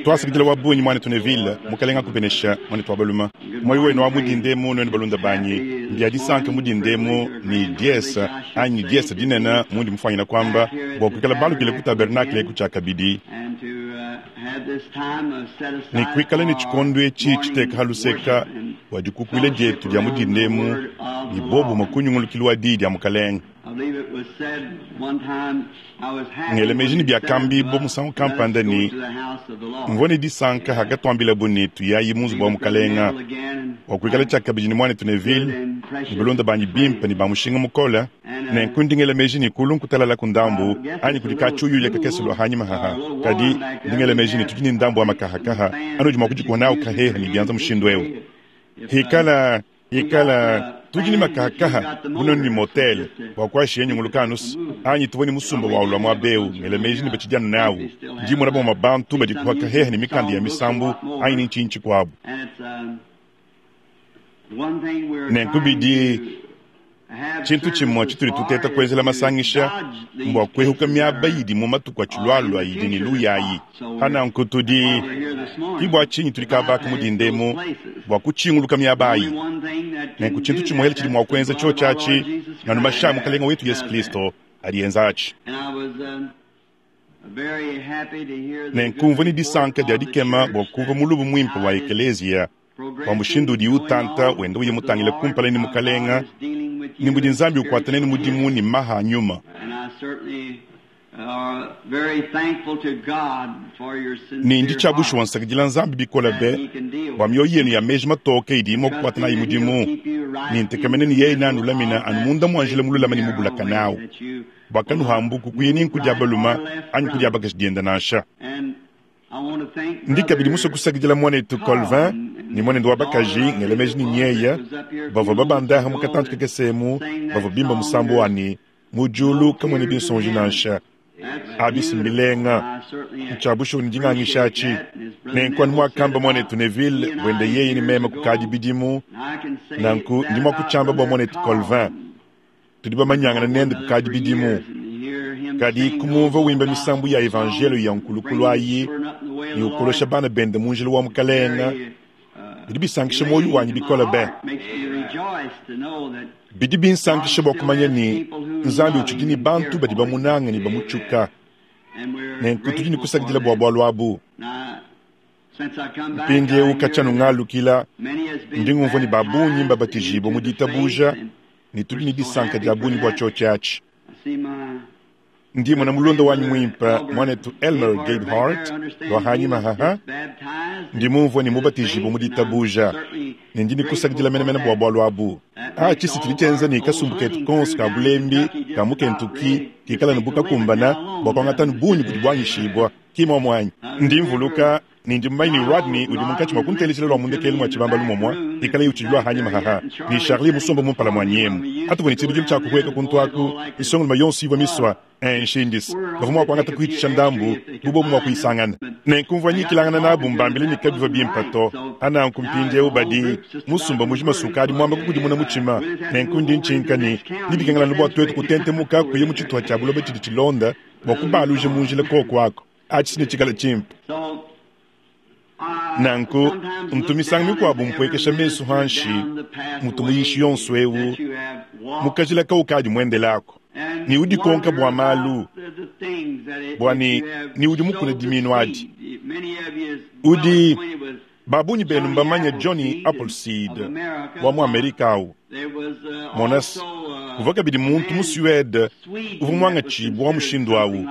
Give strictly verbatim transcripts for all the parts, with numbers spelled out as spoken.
Twasakidila wa bungi mwanetu Neville, Mukalenga akubenesha mwanetu wa baluma. Moyo wenu wa mudindemu nwenu balunda banyi, mbya disanka mudindemu ni diesa anyi diesa dinene mundi mufwanyina kwamba bwa kuikala balukile ku tabernakle ku tshiakabidi ne kuikala ne tshikondo etshi tshiteka ha luseka bua dikukuila dietu dia mudindemu ne bobumue ku nyungulukilu wa diyi dia Mukalenga. Ngela meji ne biakambibua musangu kampanda ne mvua ne disanka hakatuambilabu ne tuyayi mu nzubu wa Mukalenga bua kuikala tshiakabidi ne muanetu Neville ne balunda banyi bimpe ne ba mushinga mukole. Nenku ndi ngela meji ne kulu nkutalala ku ndambu anyi kudi katshiuyuya kakese lua hanyima haha, kadi ndi ngela meji ne tudi ne ndambu wa makahakaha anudi mua kudikuha nawu kaheha ne bianza mushindu eu. Hikala hikala tudi ne makahakaha bunonu ne motel bua kuashiya nyunguluka anusu anyi tuvua ne musumba wa ulua muaba eu ngela meji ne batshidi anu nawu. Ndi mona bamue bantu badikuha kaheha ne mikanda ya misambu anyi ne ntshinyi tshikuabu. Nenku bidi tshintu tshimue tshitudi tuteta kuenzela masangisha mbua kuehuka miaba idi mu matuku atshilualua idi ne luyayi. Pananku tudi ki bua tshinyi tudi kabaka mudindemu bua kutshinguluka miaba ayi. Nenku tshintu tshimuele tshidi mua kuenza tshiotshi atshi nganu mashi a Mukalenga wetu Yesu Kristo adi enza atshi. Nenku mvua ne disanka dia dikema bua kumvua mulubu muimpe wa ekeleziya bua mushindu udi utanta wenda uya mutangile kumpala ne Mukalenga ne mudi Nzambi ukuata nenu mudimu ne maha a nyuma. Ne ndi tshia bushuwa nsakidila Nzambi bikole be bua mioyo yenu ya meji matoke idi mua kukuata nayi mudimu, ne ntekemena ne yeye neanulamina anu munda mua njila mululama ne mubulaka nawu, bua kanuhambuku kuya ni nku dia baluma anyi ku dia bakaji dienda nansha. Ndi kabidi musue kusakidila muanetu Colvin ne muanende wa bakaji ngela meji ne nyeya bavua babandaha mu katantu kakese emu bavua bimba musambu wa ne mu diulu kamuena binsonji nansha. Abi mbilenga ntshia bushuwa ne dingangisha atshi. Nenku anu muakamba muanetu Neville buende yeye ne meme kukadi bidimu, nanku ndi mua kutshiamba bua muanetu Colvin. Tudi bamanyangana nende kukadi bidimu. Kadi kumumvua wimba misambu ya evanjelo ya nkulukulu ayi ne ukolosha bana bende mu njila wa Mukalenga bidi bisankisha muoyo wanyi bikole be. Bidi binsankisha bua kumanya ne Nzambi utshidi ne bantu badi bamunanga ne bamutshuka. Nenku tudi ne kusakidila bua bualu abu. Mpindieu katshia ngalukila ndi ngumvua ne ba bungi mbabatijibue mu ditabuja ne tudi ne disanka dia bungi bua tshiotshi atshi. Ndi mona mulunda wanyi muimpe muanetu Elmer Gabehart lua hanyima haha ndi mumvua ne mubatijibue mu ditabuja ne ndi ne kusakidila menemene bua bualu abu. Atshi si tshidi tshienza ne kasumbu ketu konso ka bulembi ka mu Kentucky kikala ne bukakumbana bua kuangata ne bungi budi buanyishibua ki muamua anyi. Ndi mvuluka ne ndi mumanye ne Rodney udi munkatshi mua kunteleshela lua mundekelu mua tshibambalu momua ikala utshidi lua hanyima haha ne Charlie musomba mumpala mua nyemu atuvua ne tshibidilu tshia kuhueka kuntu aku isongoloma yonso ivua misua enshindisi bavua mua kuangata kuhitisha ndambu bubobu mua kuyisangana. Nenku mvua nyikilangana nabu mbambile ne kabivua bimpe to. Ananku mpindieu badi musumba mujima sukadi muamba kukudimuna mutshima. Nenku ndi ntshinka ne nibikengelana bua tuetu kutentemuka kuya mu tshituha tshia buloba tshidi tshilonda bua kubaluja mu njila koko ako. Atshi ne tshikala tshimpe. Nanku ntu misangu mikuabu mpuekesha mesu hanshi mutu muyishi yonso eu mukajila kaukadi muendelako ni udi konka bua malu bua ni ni udi mukuna diminu adi. Udi babunyi benu mbamanya Johnny Appleseed wa mu Amerika au. Monas uvua kabidi muntu mu Suede uvua muangatshibua wa mushindu awu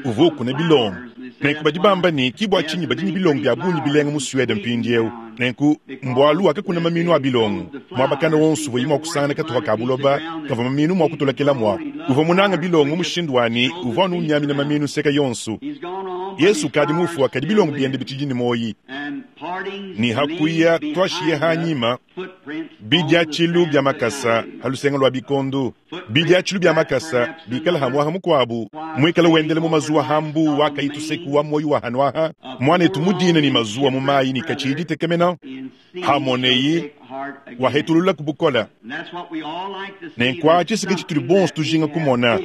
uvua ukuna bilongo. Nenku badi bamba ne ki bua tshinyi badi ne bilongo bia bungi bilenga mu Suede mpindieu. Nenku mbualu wakakuna maminu a bilongo muabakana wonso uvua mua kusangana katupa ka buloba kavua maminu mua kutolokela mua. Uvua munanga bilongo mushindu wani uvua anu unyamina maminu nseka yonso. Yesu kadi mufu kadi bilongo biende bitshidi ne moyi. Ni hakuya twashiye hanyima bidiatshilu bia makasa halusenga lua bikondu. Bidiatshilu bia makasa bikala hamwaha mukwabu mwikala wendele mu mazuwa hambu wakayituseku wa moyo wa hanwaha mwanetu mudina ni mazuwa mu mayi ni kachidi tekemena hamoneyi Wahetulula ku bukole. Nenku atshi ke tshitudi bonso tujinga kumona,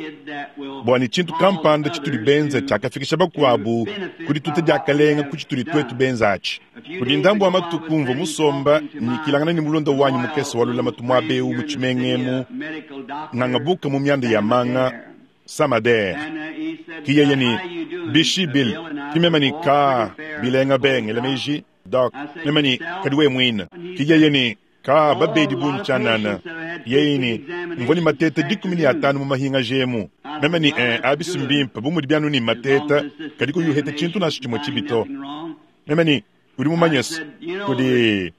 bua ne tshintu kampanda tshitudi benza tshiakafikisha bakuabu ku dituta diakalenga ku tshitudi tuetu benza atshi. Kudi ndambu wa matuku mvua musomba nyikilangana ne mulunda wanyi mukese wa lulamatu muaba eu mu tshimenga emu, ngangabuka mu mianda ya manga Samader. Ki yeye ne bishi Bill, ki meme ne ka bilenga bengela meji Doc, meme ne kadi wewe muine. Ki yeye ne ka babedi bungi tshianana. Yeye ne mvua ne mateta dikumi ne atanu mu mahinga jemu. Meme ne eh, abisi mbimpe bu mudi bianu ne mateta, kadi kuyuheta tshintu nansha tshimue tshibi to. Meme ne udi mumanye se kudi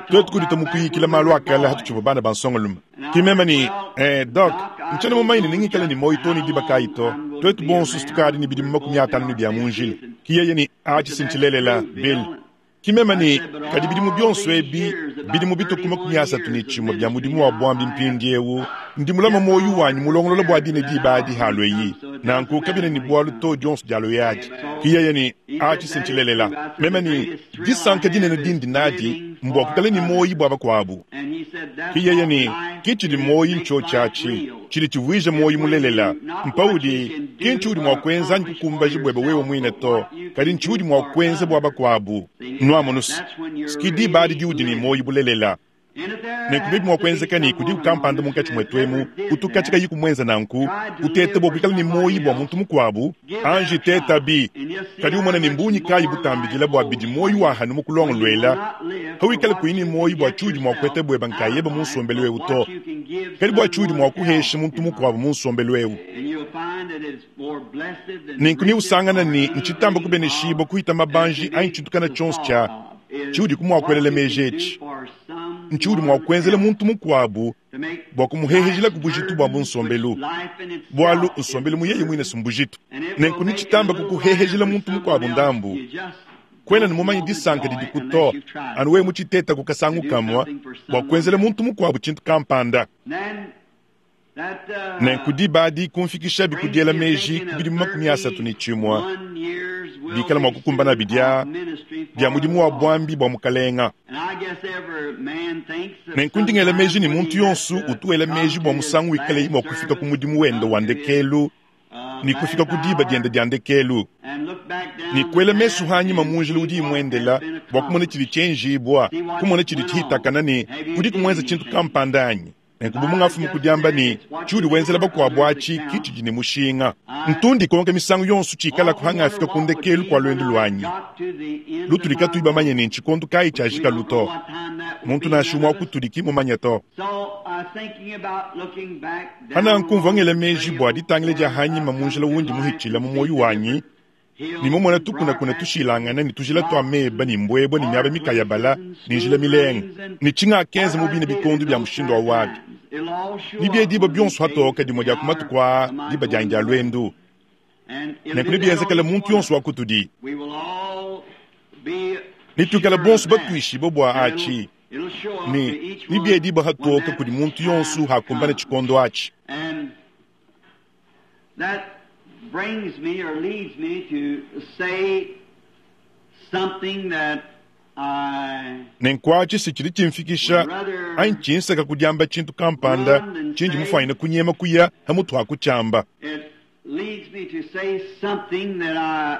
tuetu kudita mu kuyikila malu a kale hatutshivua bana ba nsongalume. Ki meme ne eh, Doc, ntshiena mumanye ne ningikale ne muoyo to ne diba kayi to. Tuetu bonso tukadi ne bidimu makumi atanu ne bia mu njila. Ki yeye ne atshi sintshilelela Bill. Ki meme ne kadi bidimu bionso ebi bidimu bituku makumi asatu ne tshimue bia mudimu wa buambi mpindiewu ndi mulama muoyo wanyi mulongolola bua dine diba adi halue nanku kabiena ne bualu to dionso dialue adi. Ki yeye ne atshi sintshilelela. Meme ne disanka dinene dindi nadi mbua kukala ne muoyo bua bakuabu. Ki yeye ne ki tshidi muoyo ntshotshiatshi tshidi tshivuija muoyo mulelela. Mpaudi ki ntshiudi mua kuenza anyi kukumbaja buebe wewe muine to, kadi ntshiudi mua kuenza bua bakuabu. Nuamonusi ski diba adi diudi ne muoyo bulelela. Nenku bibi mua kuenzeka ne kudi kampanda munkatshi muetu emu utu katshi kayi kumuenza nanku utete bua kuikala ne muoyo bua muntu mukuabu anji teta bi kadi umona ne mbunyi kayi butambidila bua bidi muoyo wa hanu mu kulongoluela hawikala kuyi ne muoyo bua tshiudi mua kueta bueba nkayeba mu nsombelu eu to, kadi bua tshiudi mua kuhesha muntu mukuabu mu nsombelu eu. Nenku ne usangana ne ntshitamba kubeneshibua kuhita mabanji anyi tshintukana tshionso tshia tshiudi kumua kuelela meji etshi ntshiudi mua kuenzela muntu mukuabu bua kumuhehejela ku bujitu bua bunsombelu, bualu nsombelu mu yeye muine sumbujitu. Nenku nitshitamba kukuhehejela muntu mukuabu ndambu kwena ne mumanye disanka didi kuto anu wewe mutshiteta ku kasangu kamua bua kuenzela muntu mukuabu tshintu kampanda. Nenku diba adi kumfikisha bikudiela meji ku bidimu makumi asatu ne tshimue bikala mua kukumbana bidia bia mudimu wa buambi bua mukalenga. Nenku ndingela meji ne muntu yonso utu wela meji bua musangu wikale mua kufika ku mudimu wende wa ndekelu ne kufika ku diba diende dia ndekelu ne kuela mesu hanyima mu njila udi imuendela bua kumona tshidi tshienjibua, kumona tshidi tshihitakana ne kudi kumuenza tshintu kampanda anyi. Nenku bu mungafumu kudiamba ne tshiudi wenzela bakuabu atshi ki tshidi ne mushinga. Ntundi konka misangu yonso tshikala kuhanga afika ku ndekelu kua luendu luanyi. Lutudi katuyi bamanye ne ntshikondo kayi tshiajika luto. Muntu nansha umue wa kutudi ki mumanye to. Hana nkumvua ngela meji bua ditangila dia hanyima mu njila wundi muhitshila mu muoyo wanyi ne mumona tukunakuna tushilangana ne tujila tua meba ne mbwebwe ne miaba mikayabala ne njila milenga ne tshingakenza mu bine bikondo bia mushindu wa wabi. Ni bie diba bionso hatoka dimue dia ku matuku aa diba dianyi dia luendu. Nenku ne bienzekela muntu yonso wa kutudi. Nituikala bonso batuishibue bua atshi ne ni bie diba hatoka kudi muntu yonso hakumbana tshikondo atshi. Brings me or leads me to say something that I Nenku atshi si tshidi tshimfikisha anyi tshinsaka kudiamba tshintu kampanda tshindi mufuanyine kunyema kuya hamutu ha kutshiamba. It leads me to say something that I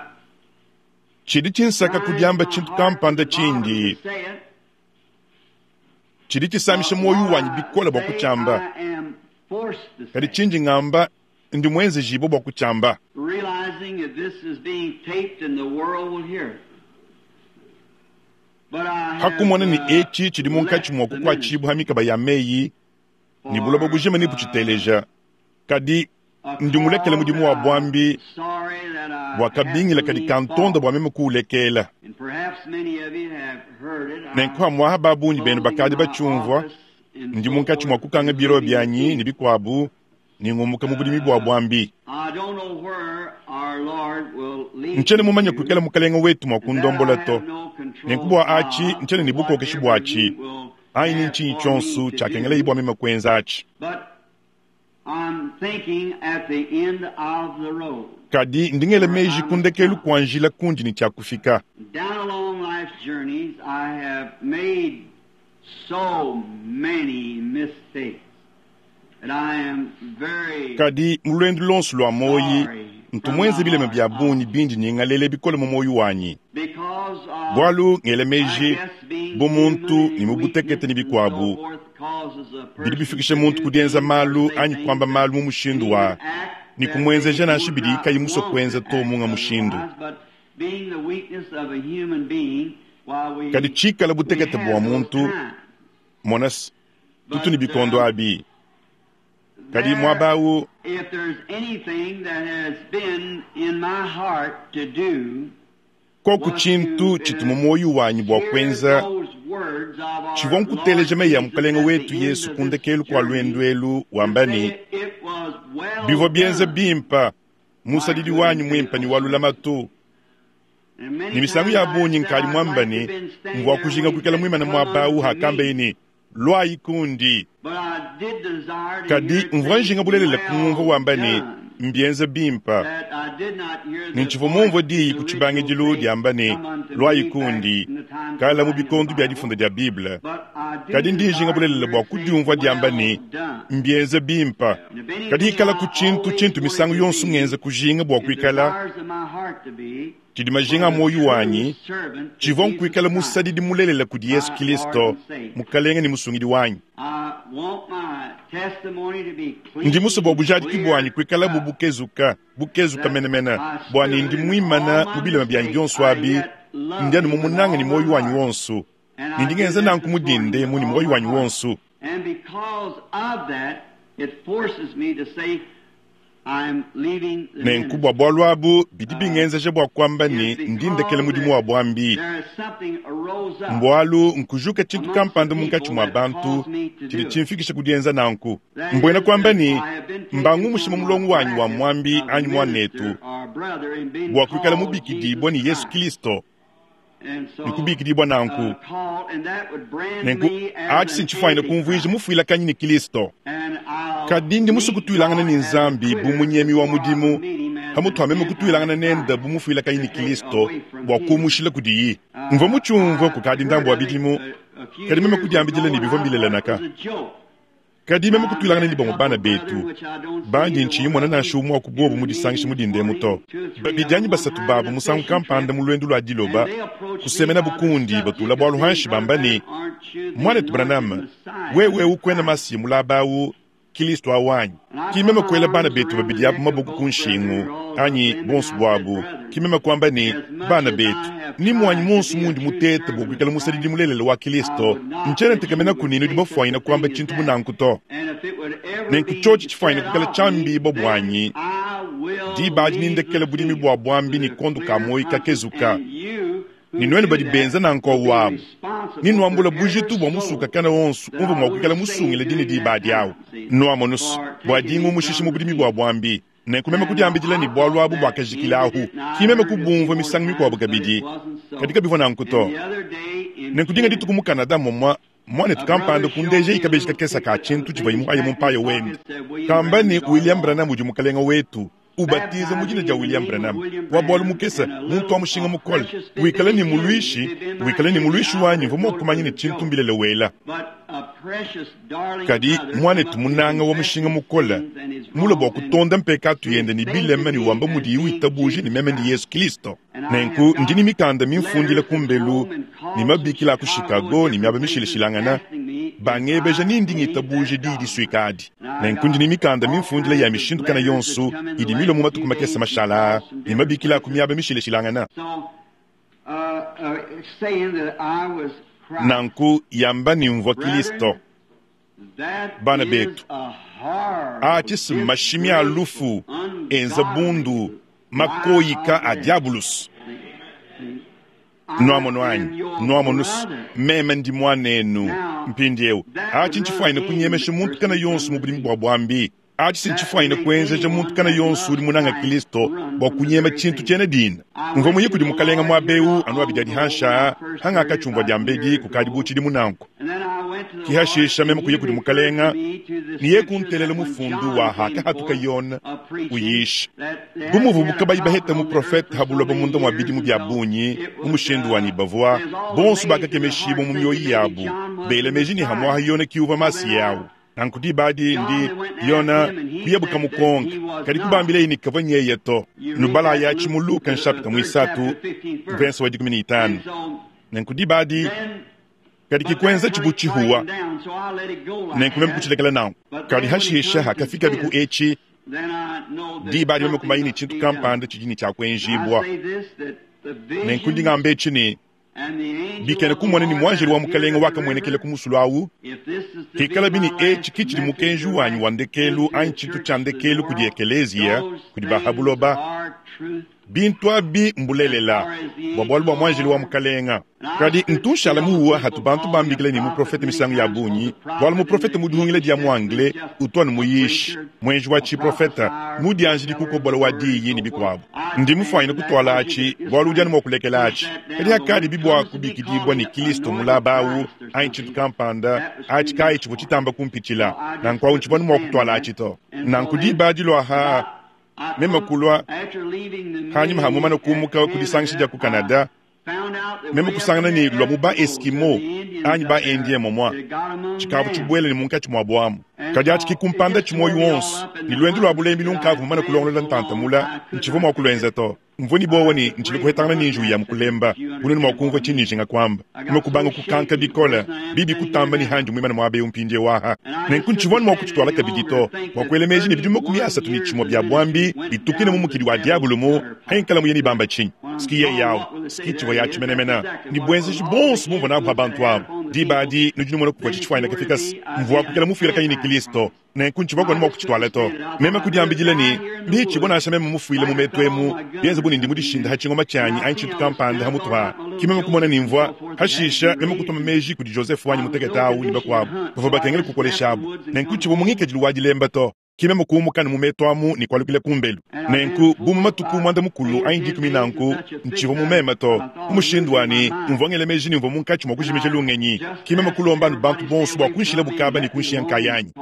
Tshidi tshinsaka kudiamba tshintu kampanda tshindi tshidi tshisamisha muoyo wanyi bikole bua kutshiamba, kadi tshindi ngamba ndi mwenzejibo bua kutshiamba. Realizing that this is being taped and the world will hear it. But I have, Hakumona ne uh, etshi tshidi munkatshi mua kukuatshibua ha mikaba ya meyi ne buloba bujima ne butshiteleja, kadi ndi mulekele mudimu wa buambi bua kabingila kadi kantonda bua meme kuulekela. Nenku hamuaha ba bungi benu bakadi batshiumvua, ndi munkatshi mua kukanga biro bianyi ne bikuabu ne ngumuka mu budimi bua buambi. Ntshiena mumanye kuikala mukalenga wetu mua kundombola to. Nenku bua atshi ntshiena ne bukokeshi buatshi anyi ni ntshinyi tshionso tshiakengela ibua meme kuenza atshi. Kadi ndingela meji ku ndekelu kua njila kundi ne tshiakufika. Down along life's journeys, I have made Kadi mu luendu luonso lua muoyi, ntu muenze bilema bia bungi bindi nyingalele bikole mu muoyo wanyi. Bualu ngela meji bu muntu ne mu butekete ne bikuabu bidi bifikisha muntu ku dienza malu anyi kuamba malu mu mushindu wa ne kumuenzeja nansha bidi kayi musue kuenza to munga mushindu. Kadi tshikala butekete bua muntu, mona tutu ne bikondo abi. Kadi muaba awu, koku tshintu tshitu mu muoyo wanyi bua kuenza, tshivua nkuteleja meyi a Mukalenge wetu Yesu ku ndekelu kua luendu elu wamba ne, bivua bienza bimpa, musadidi wanyi muimpa ne wa lulamatu. Ne misangu ya bungi nkadi muamba ne, mvua kujinga kuikala muimane muaba awu hakambaye ne, luayi kundi. Kadi mvua njinga bulelela kumumvua wamba ne, mbienze bimpa. Ne ntshivua mumvue diyi ku tshibangidilu diamba ne, luayi kundi, kala mu bikondo bia difunda dia Bible. Kadi ndi njinga bulelela bua kudiumvua diamba ne, mbienze bimpa. Kadi ikala ku tshintu tshintu misangu yonso ngenza kujinga bua kuikala tshidi majinga a muoyo wanyi, tshivua nkuikala musadidi mulelela kudi Yesu Kristo, Mukalenge ne Musungidi wanyi. Ndi musue bua bujadiki buanyi kuikala bu bukezuka, bukezuka menemene, bua ne ndi muimana mu bilema bianyi bionso abi, ndi anu mumunange ne muoyo wanyi wonso, ne ndi ngenza nanku mu dindemu ne muoyo wanyi wonso. Nenku bua bualu abu bidi bingenzeja bua kuamba ne ndi ndekela mudimu wa buambi. Mbualu nkujuka tshintu kampanda munkatshi mua bantu tshidi tshimfikisha ku dienza nanku. Mbuena kuamba ne mbangumushe mu mulongo wanyi wa muambi anyi muanetu bua kuikala mubikidibua ne Yesu Kristo. Ne kubikidibua nanku. Nenku atshi sintshifuanyine kumvuija mufuilakanyi ne Kristo. Kadi ndi musue kutuilangana ne Nzambi bu munyemi wa mudimu, pamutu pa meme kutuilangana nende bu mufuilakanyi ne Kristo bua kumushila kudiyi. Mvua mutshiumvue kukadi ndambu wa bidimu, kadi meme kudiambidila ne bivua mbilelanaka. Kadi meme kutuilangana ne bamue bana betu, bandi ntshiyi mona nansha umue wa ku bobu mu disangisha mu dindemu to. Babidi anyi basatu babu musangu kampanda mu luendu lua diloba, kusemenabu kundi batula bualu hanshi bamba ne, muanetu Branham, wewe ukuena Masiya mulaba awu, Kristo awanyi. Ki meme kuela bana betu babidi abu maboko ku nshingu, anyi bonso buabu. Ki meme kuamba ne, bana betu, ni muanyi monso mundi mutete bua kuikala musadidi mulelela wa Kristo, ntshiena ntekemena ku ne nudi bafuanyine kuamba tshintu bunanku to. Nenku tshiotshi tshifuanyine kuikala tshiambibua buanyi, diba adi nindekele budimi bua buambi ne kondo ka muoyo kakezuka. Ne nuenu badi benza nanku awu ni nuambula bujitu bua musukakana wonso umvua mua kuikala musungile dine diba adi awu. Nuamonusu bua dingumushisha mu budimi bua buambi. Nenku meme kudiambidila ne bualu abu buakajikila ahu. Ki meme kubumvua misangu mikuabu kabidi, kadi kabivua nanku to. Nenku dinga dituku mu Canada momua, muanetu kampanda kundeja ikabeji kakesa ka tshintu tshivua imuhaye mu mpaya wende. Kamba ne William Branham udi mukalenge wetu. Ubatiza mu dina dia William Branham wa bualu mukese, muntu wa mushinga mukole, wikale ne muluishi, wikale ne muluishi wanyi mvua mua kumanya ne tshintu mbilele wela. Kadi muanetu munanga wa mushinga mukole, mule bua kutonda mpekatu yende ne bilema ne wamba mudiyi witabuja ne meme ndi Yesu Kristo. Nenku ndi ne mikanda mimfundila ku mbelu ne mabikila ku Chicago ne miaba mishilashilangana, bangebeja ni ndi ngitabuja diyi disuika adi. Nenku ndi ne mikanda mimfundila ya mishindu kana yonso idi milue mu matuku makese mashala ne mabikila ku miaba mishilashilangana. Nanku yamba ne mvua Kristo. Bana betu, atshi mashimi a lufu enza bundu makoyika a diabulus. Nuamono anyi, nuamonusu, meme ndi muanenu mpindieu. Atshi ntshifuanyine kunyemesha muntu kana yonso mu budimi bua buambi. Atshi sintshifuanyine kuenzeja muntu kana yonso udi munanga Kristo bua kunyema tshintu tshiena dina. Mvua muye kudi mukalenga muaba eu anu abidi adi hansha, hangakatshiumvua diambedi kukadi bu tshidimu nanku. Ki hashisha meme kuya kudi mukalenga ne ye kuntelela mufundu wa hakahatuka Yona uyisha. Bu muvubu kabayi baheta muprofete ha buloba munda mua bidimu bia bungi mu mushindu wa ne bavua bonso bakakemeshibua mu mioyo yabu bela meji ne hamwaha Yona ki uvua Masiya awu. Nanku diba adi ndi Yona kuyabuka mukonka kadi kubambileyi ne kavua nyeye to. Nubala yatshi mu Luka nshapita muisatu verse wa dikumi ne itanu. Nanku diba adi kadi kikwenza tshibu tshihuwa nenku meme kutshilekela nanku. Kadi hashisha hakafika biku etshi diba adi meme kumanya ne tshintu kampanda tshidi ne tshiakuenjibua. Nenku ndi ngamba etshi ne bikena kumona ni mwanjeli wa mukalenga wakamuenekela ku musulu awu kikala bini etshi kitshidi mukenji wanyi wa ndekelu anyi tshintu tshia ndekelu kudi ekeleziya kudi bahabuloba bintu abi mbulelela bua bualu bua mwanjeli wa mukalenga. Kadi ntunshala muwa hatu bantu bambikile ne muprofete misangu ya bungi bualu muprofete mudihungile dia mu anglais utua ne muyishi mwenji wa tshiprofeta mudianjidi kukobola wa diyi ne bikuabu. Ndi mufuanyine kutwala atshi bualu udi anu mua kulekela atshi kadi hakadi bibua kubikidibua ne Kristo mulaba awu anyi tshintu kampanda atshi kayi tshivua tshitamba kumpitshila nanku awu ntshivua mua kutwala atshi to. Nanku diba dilua meme kulua hanyuma hamumana kumuka kudisangisha dia ku Canada meme kusangana ne lua mu ba Eskimo anyi ba Indien momwa tshikavu tshibuele ne munkatshi mua buamu. Kadi atshi kikumpanda tshimoyi wonso ne luendu lua bulembi lunkavu mumana kulongolola ntantamula ntshivua mua kulwenza to. Mvua ni bowa ne ntshili kuhetangana ne njiwu ya mukulemba bunene mua kumvua tshinijinga kwamba meme kubanga kukanka bikola bibi kutamba ni handi muimana muaba eu mpindie waha. Nenku ntshivua mua kutshitwala kabidi to bua kuela meji ne bidimu makumi asatu ne tshimue bia buambi bitukine mu mukidi wa diabolo mu hayinkala muye ni bamba tshinyi siki ye yawu siki tshivua ya tshimenemena ni buenzeji bonso bumvua nabu ha bantu abu. Diba adi nudi numona kuvua tshitshifuanyina kafikasi mvua kukela mufuila kanyi ne Kristo nenku ntshivua kuona mua kutshitwala to. Meme kudiambidila ne mbitshibua nansha meme mufuile mu metu emu bienze bu ne ndi mudishinda ha tshingoma tshianyi anyi tshintu kampanda ha mutu ha ki meme kumona ne mvua hashisha meme kutuma meji kudi Joseph wanyi mutekete awu ne bakuabu bavua bakengela kukoleshabu. Nenku tshivua mungikadilu wa dilemba to ki meme kuumuka ne mu metu amu ne kualukila kumbelu. Nenku bu mu matuku muanda mukulu anyi dikumi nanku ntshivua mu meme to mu mushindu wani mvua ngela meji ne mvua munkatshi mua kujimija lungenyi ki meme kulomba anu bantu bonso bua kunshila bukaba ne kunshiya nkayanyi.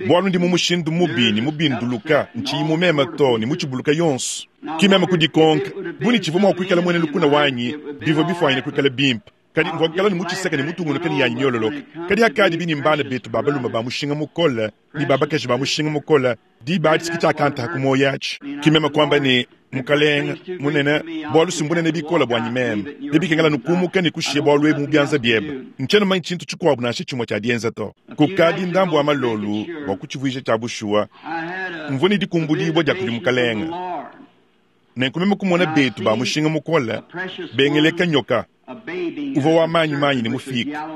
Bualu ndi mu mushindu mubi ne mubinduluka ntshiyi mu meme to ne mutshibuluka yonso ki meme kudikonka bu ne tshivua mua kuikala muena lukuna wanyi bivua bifuanyine kuikala bimpe. Kadi mvua kuikala ne mutshiseka ne mutungunuka ne yanyi miololoka. Kadi hakadi bini mbana betu ba balume ba mushinga mukole ne ba bakaji ba mushinga mukole diba adi siki tshiakanta ku moyo atshi ki meme kuamba ne mukalenga munene bualu simbunene bikola buanyi meme nebikengela nukumuka ne kushiya bualu ebu mu bianza biebe ntshiena manya tshintu tshikuabu nansha tshimue tshia dienza to. Kukadi ndambu wa malolu bua kutshivuija tshia bushuwa mvua ne dikumbudibua dia kudi mukalenga. Nenku meme kumona betu ba mushinga mukole bengeleka nyoka uvua wa manyi manyi ne mufika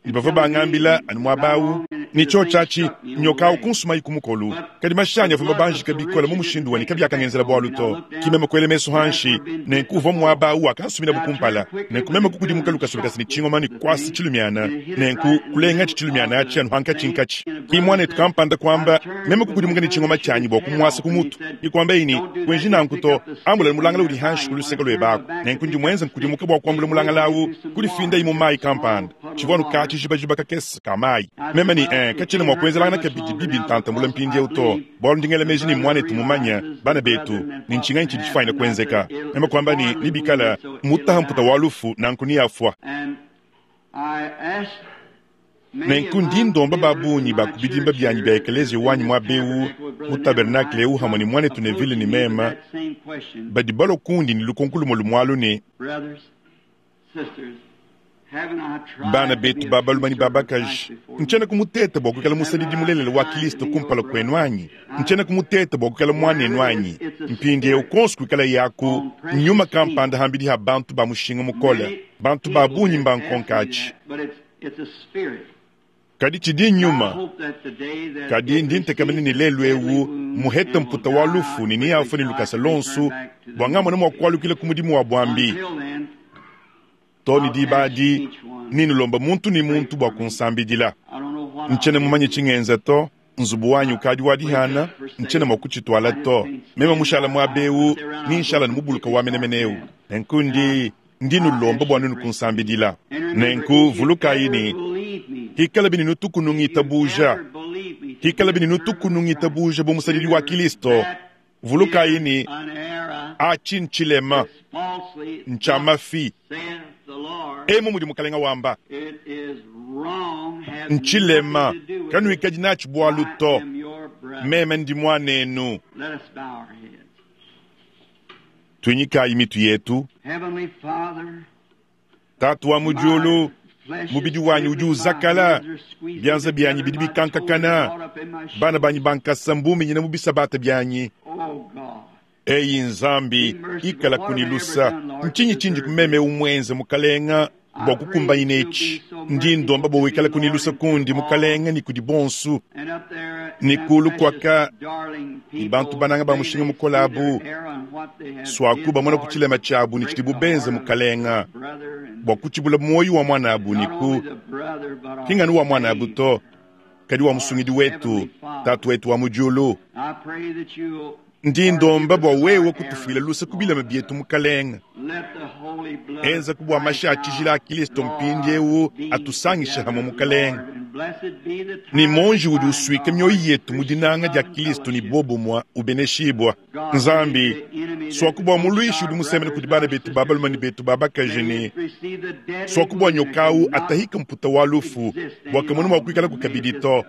ne bavua bangambila anu muaba awu ne tshio tshiatshi nyoka awu kunsumayi ku mukolu. Kadi mashanyi avua mabanjika bikola mu mushindu wani kabiakangenzela bualu to ki meme kuela mesu hanshi nenku uvua muaba awu akansumina bukumpala. Nenku meme kukudimuka lukasulukasi ne tshingoma ne kuasa tshilumiana nenku kulenga tshi tshilumiana atshi anu hankatshinkatshi. Ki muanetu kampanda kuamba meme kukudimuka ne tshingoma tshianyi bua kumuasa ku mutu ikuamba ini kuenji nanku to ambula mulangala udi hanshi ku luseke luebaku. Nenku ndi muenza nkudimuka bua kuambula mulangala awu kudifinda mu mayi kampanda tshivua anu ka tshijibajiba kakese ka mayi. Meme ni eh katshina mua kuenzelangana kabidi bibi ntantamula mpindiewu to bualu ndi ngela meji ne muanetu mumanya bana betu ne ntshinganyi tshidi tshifuanyine kuenzeka. Meme kuamba ne nibikala mutaha mputa wa lufu nanku niyafua. Nenku ndi ndomba ba bungi ba kubidimba bianyi bia ekeleziya wanyi muaba ewu mu tabernakle ewu hamwe ne muanetu Neville ne meme badi balua kundi ne lukonko lumue lumualu ne bana betu ba balume ne ba bakaji ntshiena kumuteta bua kuikala musadidi mulelela wa Kristo kumpala kuenu anyi ntshiena kumuteta bua kuikala muanenu anyi mpindiewu konso kuikala yaku nyuma kampanda hambidi ha bantu ba mushinga mukole bantu ba bungi mbankonka atshi. Kadi tshidi nyuma kadi ndi ntekamene ne lelu ewu muhete mputa wa lufu ne niyafa ne lukasa lonso bua ngamona mua kualukila ku mudimu wa buambi to ne diba adi ninulomba muntu ne muntu bua kunsambidila. Ntshiena mumanye tshingenza to nzubu wanyi ukadi wa dihana ntshiena mua kutshitwala to meme mushala muaba ewu ninshala ne mubuluka wa menemene ewu. Nenku ndi Ndi nulomba bua nuenu kunsambidila. Nenku vulukayi ne, hikalabi ne nutuku nungitabuja, hikalabi ne nutuku nungitabuja bu musadidi wa Kilisto, vulukayi ne, achi nchilema, ncha mafi. Emu mudi mukalenga wamba. Nchilema, kanuikadi nachi bwalu to. Meme ndi mwanenu. Tunyikayi mitu yetu. Tatu wa mu diulu, mubidi wanyi udi uzakala, byanza byanyi bidi bikankakana, bana banyi bankasa mbuminyina mu bisabata byanyi. Eyi Nzambi, ikala kunilusa. Ntshinyi tshindi kumeme umwenze mukalenga bua kukumbanyina etshi? Ndi ndomba bua wikala kunilusa kundi mukalenga ni kudi bonsu ni kulu kwaka ni bantu bananga ba mushinga mukola abu swaku bamona kuchilema chabu ni tshidi bubenze mukalenga bua kuchibula moyo wa mwana abu ni ku kinganu wa mwana abu to kadi wa musungidi wetu tatu wetu wa mujulu. Ndi ndomba bua wewe kutufuila lusa kubilama bietu mukalenga. Enza kubwa masha atshijila a Kilisto mpindi ewu atusangisha hamwe mukalenga. Ni monji udi uswika mioyo yetu mu dinanga dia Kilisto ni bobumwa ubeneshibwa. Nzambi, swakubwa muluishi udi musemene kudi bana betu babaluma ni betu babakaji ni swakubwa nyokawu atahika mputa wa lufu bua kamunu mua kuikala kukabidi to.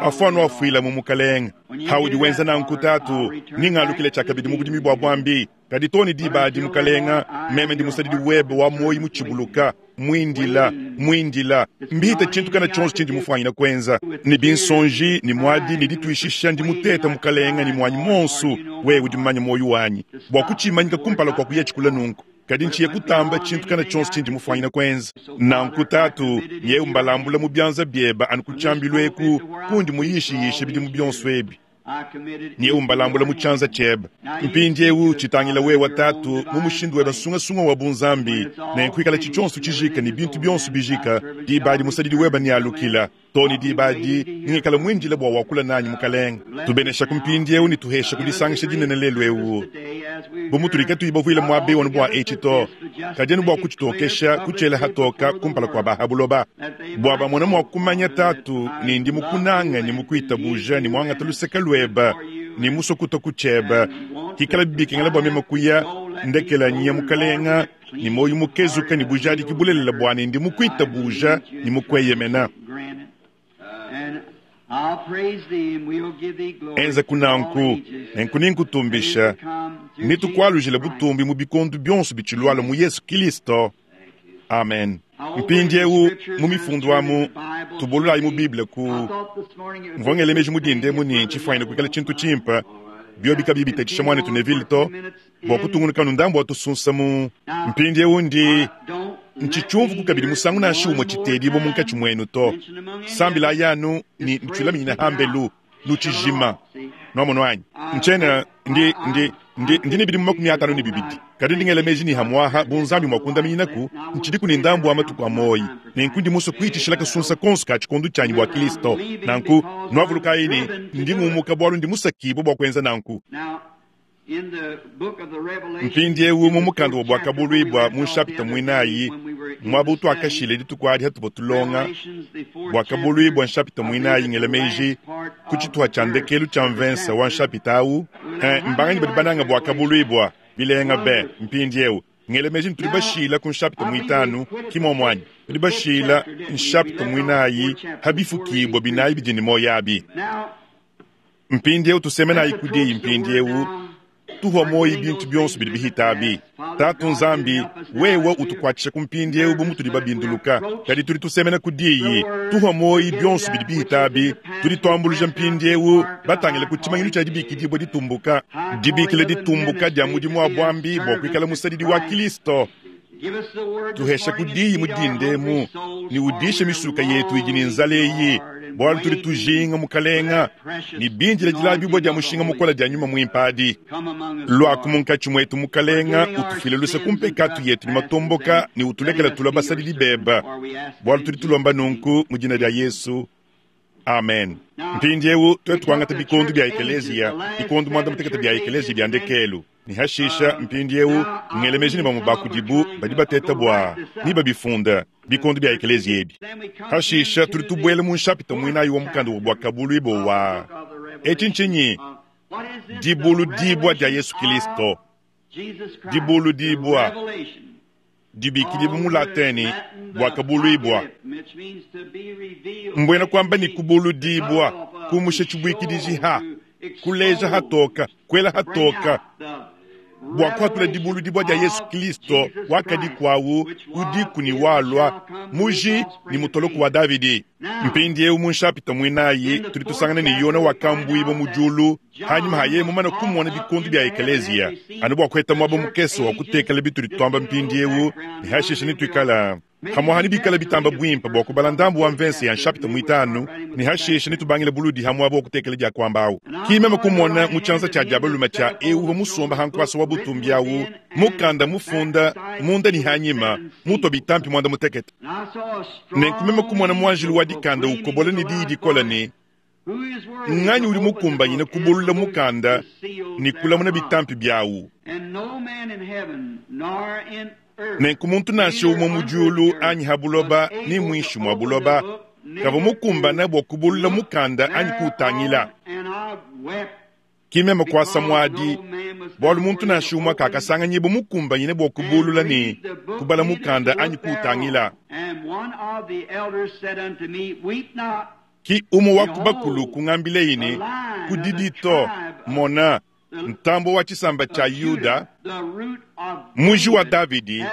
Afuanu afuila mu mukalenga. Haudi wenza nanku tatu, ningalukile tshakabidi mu budimi bua bwambi. Kadi toni diba adi mukalenga, meme ndi musadidi webe wa moyi muchibuluka, mwindila, mwindila. Mbihita tshintu kana tshonso tshindi mufwanyina kwenza. Ni binsonji, ni mwadi, ni dituishisha, ndi muteta mukalenga, ni mwanyi monsu, wewe udi mmanya moyo wanyi. Bua kuchimanyika kumpala kwa kuya tshikula nunku. Kadi nchiye kutamba tshintu kana tshonso tshindi mufwanyina kwenza. Nanku tatu, nyewe mbalambula mu byanza byeba anu kutshambilu eku, kundi muyishiyishe bidi mu byonso ebi. Nyewe mbalambula mu tshanza tshiebe. Mpindi ewu tshitangila wewe tatu mu mushindu weba sungasunga wa bunzambi, nenkuikala tshitshonso tshijika ni bintu byonso bijika, diba musadidi weba ni alukila. Toni diba di ngikala mwindila bua wakula nanyi mukalenga. Tubenesha kumpindi ewu ni tuhesha kudisangisha dinene lelu ewu. Bumutulika tuibavuila mwabe wanu bua etshi to. Kadienu bua kuchitokesha kuchela hatoka kumpala kwa bahabuloba. Bua bamona mua kumanya tatu ni ndi mukunanga ni mukuitabuja ni mwangata luseka lweba ni musokuta kucheba. Hikala bibikengela bua mema kuya ndekela nyiya mukalenga ni moyo mukezuka ni bujadi kibulelela bua ni ndi mukuitabuja ni mukweyemena. Enza kunanku, nenku ninkutumbisha, nitukwalujila butumbi mu bikondu byonso bichilwala mu Yesu Kilisto. Amen. Mpindi ewu mu mifundu amu tubululayi mu Bible ku mvongele meji mudinde muni tshifwanyina kuikala tshintu tshimpa biobi kabi bitatshisha mwana tunevile to bua kutungunuka ndambu atusunsa mu mpindi ewu ndi nchichumvu kukabidi musangu nashi umwe tshitedibo munkatshi mwenu to sambila yanu ni ntshilaminyina hambelu luchijima nomono anyi nchena ndi ndi ndi ndi ni makumi atano ni bibidi kadi ndingele meji ni hamwaha bunzambi mwakundaminyinaku nchidi ni ndambu wa matuku a moyi nenku ndi muso kuitishila kasunsa konso ka tshikondu tshanyi bua Kilisto nanku nwavulukayi ni ndi ngumuka bwalu ndi musakibo bua kwenza nanku. Mpindi ewu mu mukanda wa bwakabulwibwa mu nshapita mwinayi mwabu twakashile dituku adi hatubo tulonga bwakabulwibwa nshapita mwinayi ngele meji ku tshituha tshia ndekelu tshia mvensa wa nshapita awu eh, mbanganyi badi bananga bwakabulwibwa bilenga be mpindi ewu ngele meji ntuli bashila ku nshapita mwitanu kimomwanyi tuli bashila nshapita mwinayi habifukibwa binayi bidini moyo abi. Mpindi ewu tusemenayi kudiyi mpindi ewu tuhwa moyi bintu byonso bidi bihitabi. Tatu Nzambi, wewe utukwatshisha kumpindi ewu bu mutudi babinduluka. Kadi tudi tusemena kudiyi, tuhwa moyi byonso bidi bihitabi, tudi twambuluja mpindi ewu, batangile ku tshimanyinu tshia dibikidibwa ditumbuka. Dibikile ditumbuka dia mudimu wa bwambi bua kuikala musadidi wa Kilisto. Tuhesha kudiyi mudindemu, ni udishe misuka yetu idi ni nzala eyi, bwalu tuli tujinga mukalenga, ni binjila dilabibwa dia mushinga mukola dia nyuma mwimpadi. Lwaku munkatshi mwetu mukalenga, utufile luse kumpekatu yetu ni matomboka, ni utulekela tulwa basadidi beba. Bwalu tuli tulomba nunku mu dina dia Yesu. Amen. Mpindi ewu tuwe tuangata bikondu bya ekelezia, bikondu mwanda mutekete bya ekelezia bya ndekelu. Ne hashisha mpindieu ngele meji ne bamue ba kudibu badi bateta bua ne babifunda bikondo bia ekeleziya ebi. Hashisha tudi tubuela mu nshapita muinayi wa mukanda wa Buakabuluibua wa etshi ntshinyi? Dibuludibua dia Yesu Kristo. Dibuludibua dibikidibua mu Latini Buakabuluibua, mbuena kuamba ne kubuludibua, kumusha tshibuikidiji ha, kuleja hatoka, kuela hatoka, bua kuhatula dibuludibua dia Yesu Kristo wakadi kwawu udiku ne walua muji ne mutoloko wa Davidi. Mpindieu mu nshapita muinayi tudi tusangana ne Yona wakambuibua mu diulu hanyuma haye mumane kumona bikondo bia ekeleziya anu bua kuheta muaba mukese wa kutekela bitudi tuamba mpindieu ne hashisha ne tuikala hamwaha ne bikala bitamba bwimpe bua kubala ndambu wa mvense ya nshapita muitanu ne hashisha ne tubangile buludi ha muaba wa kutekela dia kuambawu. Kimeme kumona mu tshianza tshia diabalume tshia eu musomba hankwasa wa butumbi awu mukanda mufunda munda ne hanyima mutwa bitampi mwanda mutekete. Nenkumeme kumona muanjelu wa dikanda ukobola ne diyi dikola ne nganyi udi mukumbanyine kubulula mukanda ne kulamuna bitampi byawu. Nenku muntu nansha umwe mu diulu anyi ha buloba ni mwinshi mwa buloba kavua mukumbana bua kubulula mukanda anyi kuutangila. Kimeme kuasa muadi bualu muntu nansha umwe kakasanganyibwa mukumbanyine bua kubulula ne kubala mukanda anyi kuutangila. Ki umwe wa kubakulu kungambile ine kudidi to mona ntambo wa tshisamba tshia Yuda muji wa Davidi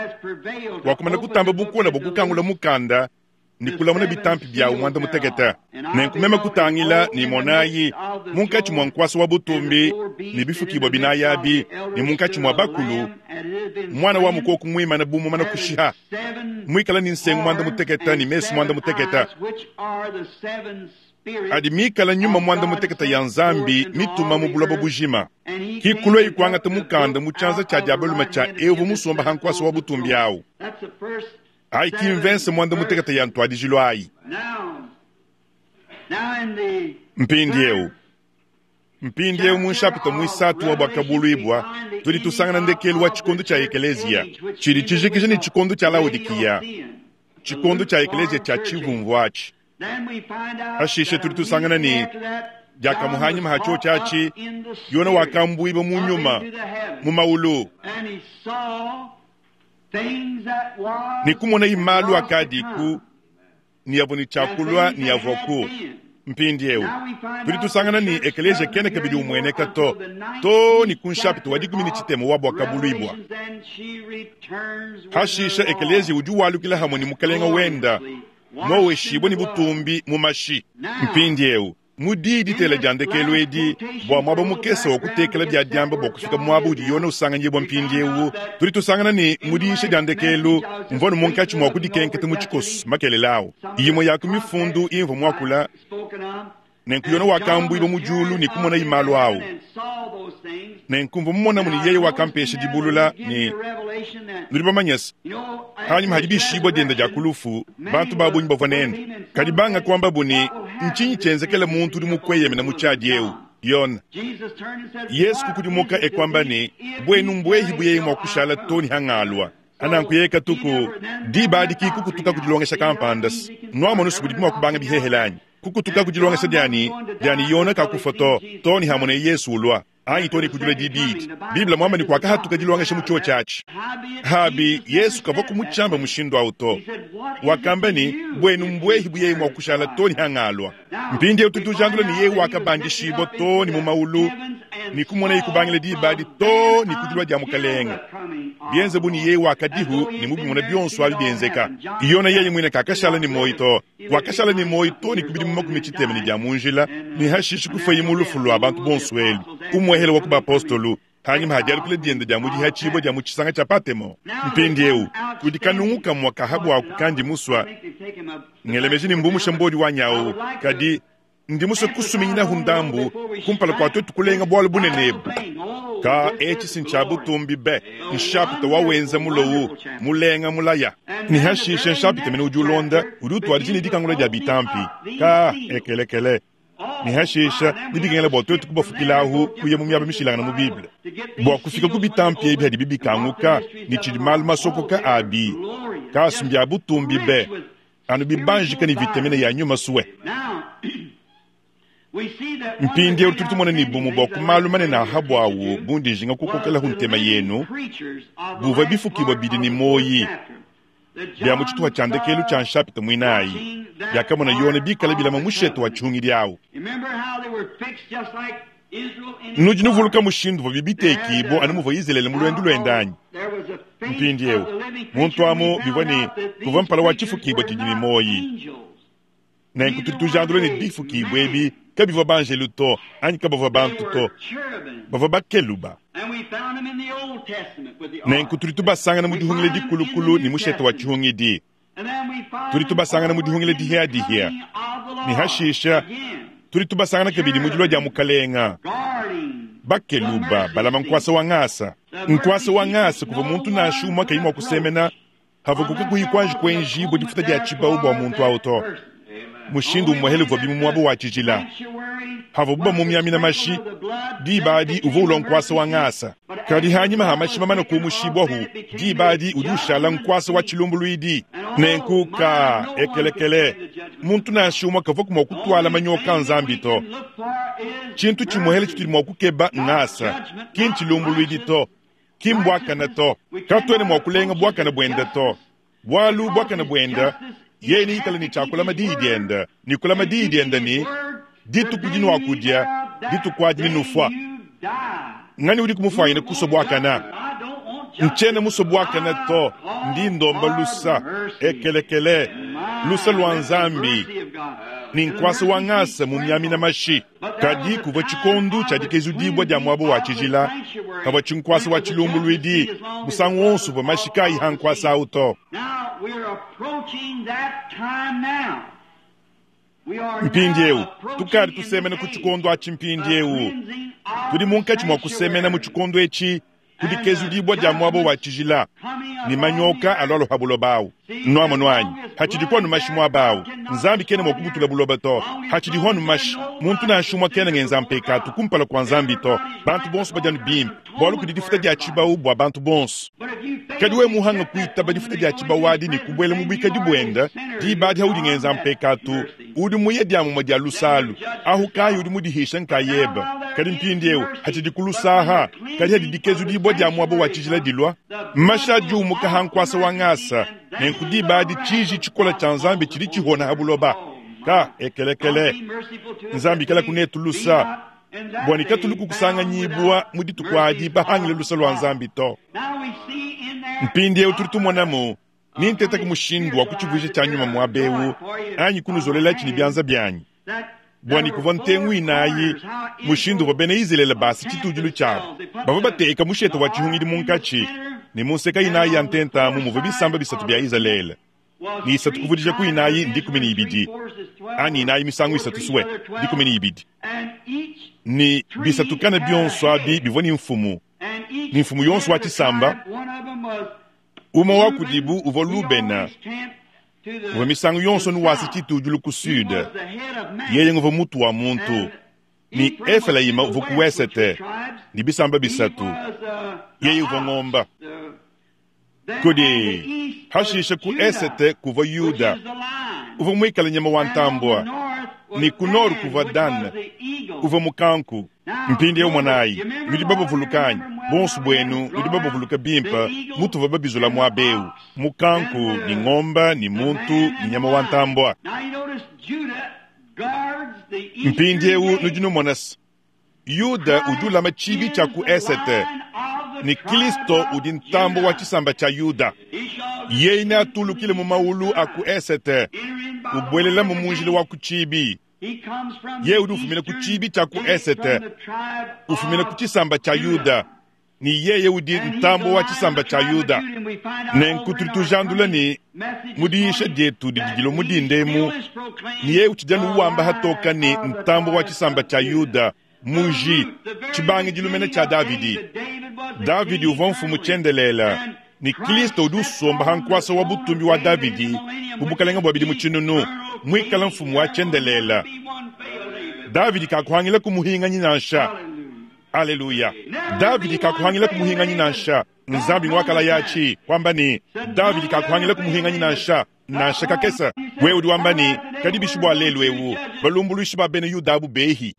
wakumana kutamba bukola bua kukangula mukanda ne kulamuna bitampi byawu mwanda mutekete. Nenkumeme kutangila ne monayi munkatshi mwa nkwasa wa butumbi ne bifukibwa binayi ne munkatshi mwa bakulu mwana wa mukoko muimana bumumana kushiha mwikala ni nsengu mwanda mutekete ne mesu mwanda mutekete adi mikala nyuma mwanda mutekete ya Nzambi mituma mu buloba bujima. Kikulwa ikuangata mukanda mu tshianza tshia diabalume tshia evu musomba ha nkwasa wa butumbi awu. Ayi kimvense mwanda mutekete ya ntwadijilo ayi. Mpindieu mpindieu mu nshapita muisatu wa Buakabuluibua tudi tusangana ndekelu wa tshikondo tshia ekeleziya tshidi tshijikija ne tshikondo tshia Laodikiya, tshikondo tshia ekeleziya tshia tshivumvu atshi. Hashishe tudi tusangana ne diakamuhanyima hatshio tshiatshi Yona wakambuibua mu nyuma mu maulu ne kumona imalu akadiku ne yavua ne tshiakulua ne yavuaku. Mpindieu tudi tusangana ne ekeleziya kene kabidi umueneka to to ne ku nshapita wa dikumi ne tshitema wa Buakabuluibua. Hashisha ekeleziya udi walukila hamwe ne mukalenga wenda moweshibwa ne butumbi mu mashi. Mpindieu mu diyi ditela dia ndekelu edi bua muaba mukese wa kutekela bia diamba bua kufika muaba udi Yona usanganyibwa mpindieu tudi tusangana ne mu diyisha dia ndekelu mvua ne munkatshi mua kudikenketa mu tshikoso makelele awu imue ya ku mifundu imvua muakula. Nenku Yona wakambuibwa mu diulu ne kumona imalu awu. Nenku mvua mumonamu ne yeye wakampesha dibulula ne nudi bamanyese hanyuma hadi bishibwa dienda dia kulufu bantu babunyi bavua nende kadi banga kuambabu ne ntshinyi tshienzekela muntu udi mukweyemena mu tshiadi eu Yona. Yesu kukudimuka ekwamba ne bwenu mbwehi buyeye mua kushala toni hangalwa ananku yeye tuku diba adi kukutuka kudilongesha kampanda nwamona budi mua kubanga bihehelanyi kukutuka kudilongesha diani diani Yona kakufa to toni hamone Yesu ulwa anyi toni kudula dibidi Biblia mwamba ni kwakahatuka dilongesha mu chuo chachi habi Yesu kavua kumuchamba mushindu awu to wakamba ni bwenu mbwehi buyeye mua kushala toni hangalwa. Mpindieu tutujandula ni yeye wakabandishibwa toni mu maulu ni kumona ikubangila diba adi to ni kudilwa dia mukalenga bienze bu ni yeye wakadihu ni mubimona bionso abi bienzeka. Yona yeye mwine kakashala ni moyi to wakashala ni moyi to ni kubidi mu makumi tshitema ni dia munjila ni hashishi kufa imulufu lwa bantu bonso elu umwehele wa kubapostolu hanyuma hadialukile dienda dia mudiha tshibwa dia mu tshisanga tshia Patemo. Mpindieu kudi kanungu kamua kahabu aku kandi muswa ngelemeji ni mbumusha mbodi wa nyawu kadi ndi muswe kusuminyinahu ndambu kumpala kua twetu kulenga bwalu bunenebu ka etshi sintshia butumbi be nshapita wawenza mulowu mulenga mulaya ni hashishe nshapita mene udi ulonda udi utuadija ne dikangula dia bitampi ka ekelekele Ne hashisha ne bikengela bua tuetu kubafukilahu kuya mu miaba mishilangana mu Bible bua kufika ku bitampi ebi hadibi bikanguka ne tshidi malu masokoka abi kasu mbia butumbi be anu bibanjika ne vitamine ya nyuma suwe. Mpindieu tudi tumona ne bumue bua ku malu manene a habuawu bundi njinga kukokelahu ntema yenu buvua bifukibua bidi ne moyi bia mu tshituha tshia ndekelu tshia nshapita muinayi biakamona Yone bikala bilama mushete wa tshihungidi awu. Nudi nuvuluka mushindu uvua bibitekibua anu muvua Izilele mu luendu luende anyi? Mpindieu muntu amu bivua ne kuvua mpala wa tshifukibua tshidi ne moyi. Nenku tudi tujandula ne bifukibua ebi kabivua banjelu to anyi kabavua bantu to, bavua bakeluba. Nenku tudi tubasangana mu dihungila dikulukulu ne mushete wa tshihungidi. Tudi tubasangana mu dihungila dihiadihia ne hashisha tudi tubasangana kabidi mu dilua dia mukalenga. Bakeluba balama nkuasa wa ngasa. Nkuasa wa ngasa kuvua muntu nansha umue kayi mua kusemena havua kukakuyi kuanji kuenjibua difuta dia tshibau bua muntu awu to. Mushindu umue uvua bimu muaba wa tshijila havua bamumiamina mashi diba adi uvua ulua nkuasa wa ngasa. Kadi hanyima ha mashi mamana kumushibwahu diba adi udi ushala nkuasa wa tshilumbuluidi. Nenku ka ekelekele muntu nansha umue kavua mua kutwala manyoka nzambi to. Tshintu tshimuhele tshitudi mua kukeba ngasa ki ntshilumbuluidi to, ki mbwakana to. Katuene mua kulenga bwakana bwenda to, bwalu bwakana bwenda yeye ni ikala ni chakulama diyi dienda ni kulama diyi dienda ni dituku dinwakudia dituku adi ninufwa. Ngani udi kumufwanyina kuswa bwakana? Nchena muswa bwakana to, ndi ndomba lusa ekelekele lusa lwa nzambi ni nkwasa wa ngasa mu miamina mashi. Kadi kuvua tshikondu tshia dikezudibua dia muaba wa tshijila kavua tshinkwasa wa tshilumbuluidi musangu wonso uvua mashi kayi ha nkwasa awu to. Mpindieu tukadi tusemena ku tshikondo atshi. Mpindieu tudi munkatshi mua kusemena mu tshikondo etshi kudikezudibua dia muaba wa tshijila ni manyoka alwalo ha buloba awu. Nwamonu anyi hatshidi kwanu mashi muaba awu nzambi kena mua kubutula buloba to. Hatshidi hwanu mashi muntu nansha umue kena ngenza mpekatu kumpala kua nzambi to. Bantu bonso badi anu bimpe bualu kudi difuta dia tshibau bua bantu bonso. Kadi we muhanga kuitaba difuta dia tshibau adi ne kubuela mu buikadi buenda diba adi haudi ngenza mpekatu udi muye dia mumue dia lusalu ahu kayi udi mudihisha nkayeba. Kadi mpindieu hatshidi kulusaha kadi hadi dikezudibua dia muaba wa tshijila dilua mashi adi umuka ha nkuasa wa ngasa. Nenku diba adi tshiji tshikola tshia nzambi tshidi tshihona ha buloba. Ka ekelekele nzambi kala kunetu lusa bua ne katulu kukusanganyibua mu dituku adi bahangile lusa lua nzambi to. Mpindieu tudi tumonamu ninteteka mushindu wa kutshivuija tshia nyuma muaba anyi kunuzolela tshini bianza bianyi bua ne kuvua ntengu inayi mushindu uvua bena Izilele basa tshitudilu tshiabu. Bavua bateka mushete wa tshihungidi munkatshi ne munseka inayi ya ntenta muvua bisamba bisatu bia Izalele ni isatu kuvudija ku inayi ndikumi ne ibidi anyi inayi misangu isatu suwe dikumi ne ibidi ni bisatu kana bionso abi bivua ni mfumu ni mfumu yonso wa tshisamba. Umue wa kudibu uvua Lubena uvua misangu yonso nuwasa tshitudilu ku sud yeye nguvua mutu wa muntu. Ni Efelaima uvua ku wesete ni bisamba bisatu yeye uvua ngomba. Kudi hashisha ku esete kuvua Yuda uvua muikala nyama wa ntambua ni ku noru kuvua Dan uvua mukanku. Mpindieu mwanayi nudi babavulukanyi bonso bwenu nudi babavuluka bimpe mutuva babizula muaba eu mukanku ni ngomba ni muntu ni nyama wa ntambua. Mpindieu nudi numona Yuda udi ulama tshibi tshia ku esete ni Kristo udi ntambo wa tshisamba tshia Yuda. Yeye neatulukile mu maulu a ku esete ubwelela mu munjila wa ku tshibi. Yeye udi ufumina ku tshibi tshia ku esete ufumina ku tshisamba tshia Yuda ni yeye udi ntambo wa tshisamba tshia Yuda. Nenku tudi tujandula ni mudiisha dietu didi dilo mudindemu ni yeye utshidi anu wamba hatoka ni ntambo wa tshisamba tshia Yuda muji tshibangi dilumene tshia Davidi. Davidi uvua mfumu tshiendelela ni Kristo udi usomba ha nkuasa wa butumbi wa Davidi mu bukalenga bua bidimu tshinunu muikala mfumu wa tshiendelela. Davidi kakuhangila kumuhinganyi nansha. Aleluya. Davidi kakuhangila kumuhinganyi nansha. Nzambi ngwakala yachi kwamba ni Davidi kakuhangila kumuhinganyi nansha. Nansha kakesa. Wewe udi wamba ni kadi bishi bwa lelu ewu balumbuluishi ba bena Yuda abu behi.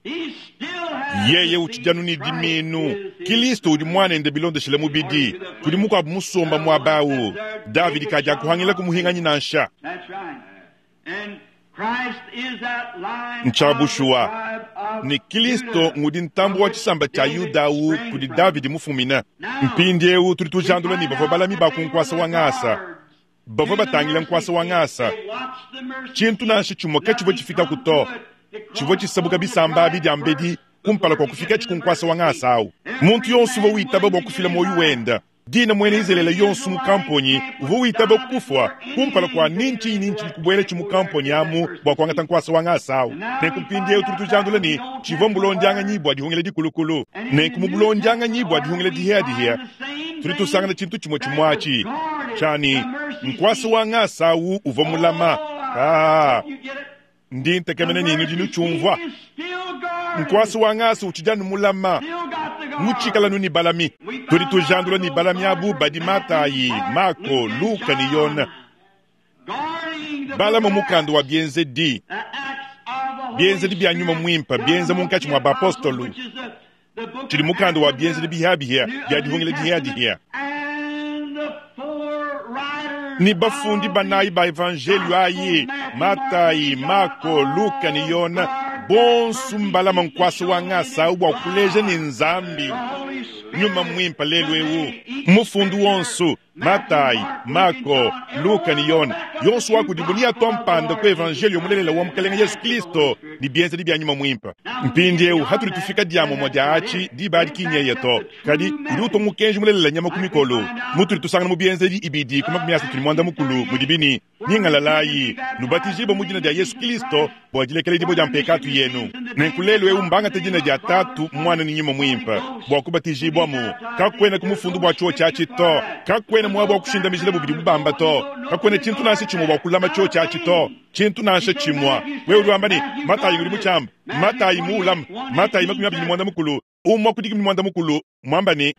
Yeye utshijanu ni diminu. Kristo udi mwanende bilondeshele mubidi. Kudi mukwabu musomba mwabawu. Davidi kaja kuhangila kumuhinganyi nansha. Nchabushua ni Kristo ngudi ntambu wa chisamba cha Yuda kudi Davidi mufumina. Mpindi ewu tudi tujandula ni bavua balami ba kunkwasa wa ngasa. Bavua batangila nkwasa wa ngasa. Chintu nansha chimwe kachivua chifika kuto. Chivua chisabuka bisamba abi dia mbedi kumpala kwa kufika chikunkwasa wa ngasa awu. Muntu yonso uvua witaba bua kufila moyo wenda. Dina mwene izelela yonso mu kamponyi uvua witaba kufwa kumpala kwa ninchi ninchi kubwela chimu kamponyi amu bua kuangata nkwasa wa ngasa awu. Nenku mpindi tudi tujandula ni chivua mbulondianganyi bua dihungila dikulukulu. Nenku mu bulondianganyi bua dihungila dihia dihia tudi tusangana chintu chimwe chimwachi chani nkwasa wa ngasa awu uvua mulama. Ah, ndi ntekemene nini dinu chumvwa nkwasa wa ngasa uchijanu mulama muchikala nuni balami. Tudi tujandula ni balami abu badi Matayi, Mako, Luka ni Yona. Balama mukanda wa bienzedi. Bienzedi bya nyuma mwimpa, bienza munkachi mwa bapostolu. Chili mukanda wa bienzedi bihabihia, bya dihungila dihia. Ni bafundi banayi ba evangelio ayi, Matayi, Mako, Luka ni Yona. Bonsu mbalama nkwasa wa ngasa bwa kuleja ni nzambi. Nyuma mwimpa lelu ewu. Mufundu wonsu, Matayi, Mako, Luka ni Yona. Yonsu wakudibunia tompanda ku evangelio mulelela wa mukalenga Yesu Kristo ni bienzedi bya nyuma mwimpa. Mpindi ewu hatuli tufika diamo moja achi diba dikinyeya to. Kadi udi utonga mulelela nyama kumikolo. Mutuli tusangana mu bienzedi ibidi kuma kumyasa tuli mwanda mukulu mudibini. Ningalalayi nubatijiba mu jina dia Yesu Kristo bua dilekela dibo dia mpekatu yenu. Nenkulelu ewu mbangate jina dia tatu mwana ni nyuma mwimpa bua kubatijibwamu. Kakwena kumufundu bua chuo chachi to. Kakwena mwabo kushinda mijila bubidi bubamba to. Kakwena chintu nansha chimwe bua kulama chuo chachi to. Chintu nansha chimwa. Wewe udi wamba ni Matayi uli muchamba. Matayi muulam. Matayi makumi abiri mwanda mukulu. Umwa kudiki mwanda mukulu. Mwamba ni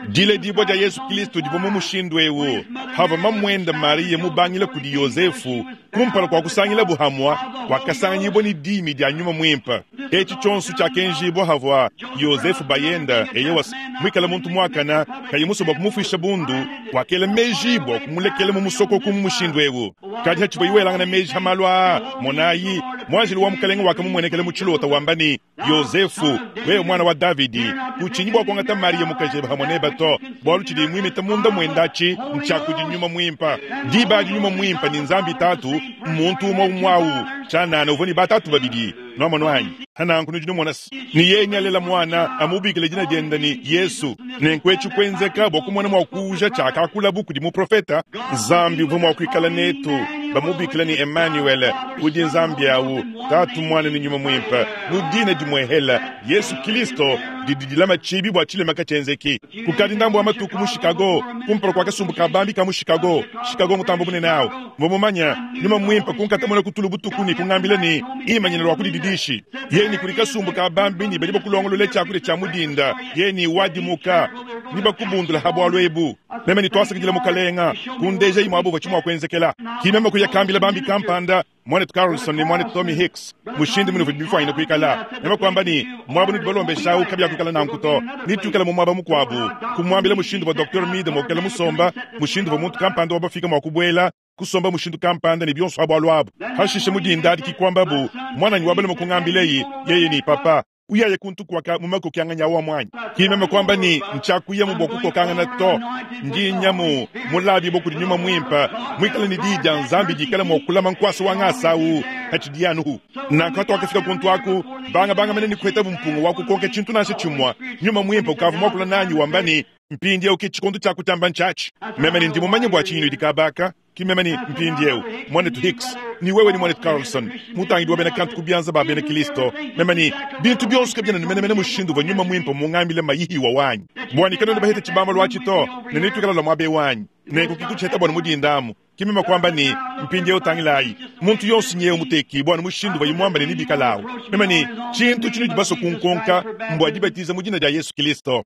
dile dibwa dia Yesu Kristo divwa mu mushindu ewu. Hava mamwenda Maria mubangila kudi Yosefu kumpala kwa kusangila buhamwa wakasanganyibwa ni dimi dia nyuma mwimpa. Echi chonsu chakenjibwa havwa Yosefu bayenda eyewas mwikala muntu mwakana kayimusoba kumufisha bundu wakela mejibwa kumulekela mu musoko ku mushindu ewu. Kadi hachibwa iwelanga na meji hamalwa monayi mwanjili wa mukalenga wakamumwenekele mu chilota wambani Yosefu wewe mwana wa Davidi kuchinyibwa kwangata Maria mukajeba hamwe bato bwalu chili mwimita munda mwendachi nchakudi nyuma mwimpa. Diba di nyuma mwimpa ni nzambi tatu muntu umwe umwawu chanana uvoni batatu babidi nwamano anyi hananku nujino mwana ni yeye alela mwana amubikile jina jenda ni Yesu. Nenkwechu kwenzeka bwa kumwana mwa kuja chakakula buku di muprofeta Nzambi uvwa mwa kuikala netu bamubikile ni Emmanuel udi Nzambi awu tatu mwana ni nyuma mwimpa mudina dimwehela Yesu Kristo dididilama chibi bwa chilema kachenzeki. Kukadi ndambo wa matuku mu Chicago kumpala kwa kasumbu kabambi ka mu Chicago. Chicago mutambo bunene awo mbomumanya nyuma mwimpa kunkatamona kutulu butuku ni kungambila ni imanyina lwa kudididishi yeni kuli kasumbu kabambi ni bali bakulongolola chakule cha mudinda yeni wadimuka ni bakubundula habwalwe ebu meme ni twasakidila mukalenga kundeja imwabo bachimwa kwenzekela kimema kuyakambila bambi kampanda mwana Carlson ni mwana Tommy Hicks mushindi munu bifwa ina kuikala nema kwamba ni mwabu ni balombe shau kabya kuikala na nkuto ni tukala mu mwaba mukwabu kumwambila mushindi wa Doctor Mide mokela musomba mushindi wa muntu kampanda wabafika mwakubwela kusomba mushindu kampanda ni bionso abwalwabo hashishe mudinda dikikwamba bu mwana ni wabale mukungambileyi yeye ni papa uyaye kuntu kwaka mumako kyanganya wa mwanyi kimema kwamba ni nchakuya mu bokuko kangana to ndi nyamu mulabi boku nyuma mwimpa mwikala ni dija nzambi dikala mokula mankwasa wa ngasawu hachidianuhu na kato akafika kuntu aku banga banga mene ni kweta bumpungu wako konke chintu nashe chimwa nyuma mwimpa ukavu mwakula nanyi wambani mpindi uki chikondu chakutamba nchachi meme ni ndimu manye bwa chinu dikabaka kimeme ni mpindi eu mwanetu Hicks ni wewe ni mwanetu Carlson mutangi wa bena kantu kubianza ba bena Kristo meme ni bintu byonse kabyana ni mene mene mushindu wa nyuma mwimpa mungambile mayihi wa wanyi bwani kano bahete chibamba lwachito ne nitukala la mwabe wanyi Nenku kikutshieta bua mudinda amu. Ke meme kuamba ne, mpindieu tangilayi, muntu yonso nyewu mutekibue anu mushindu uvuaye muamba ne nebikalawu. Meme ne, tshintu tshinudi basue kunkonka mbua dibatiza mu dina dia Yesu Kilisto.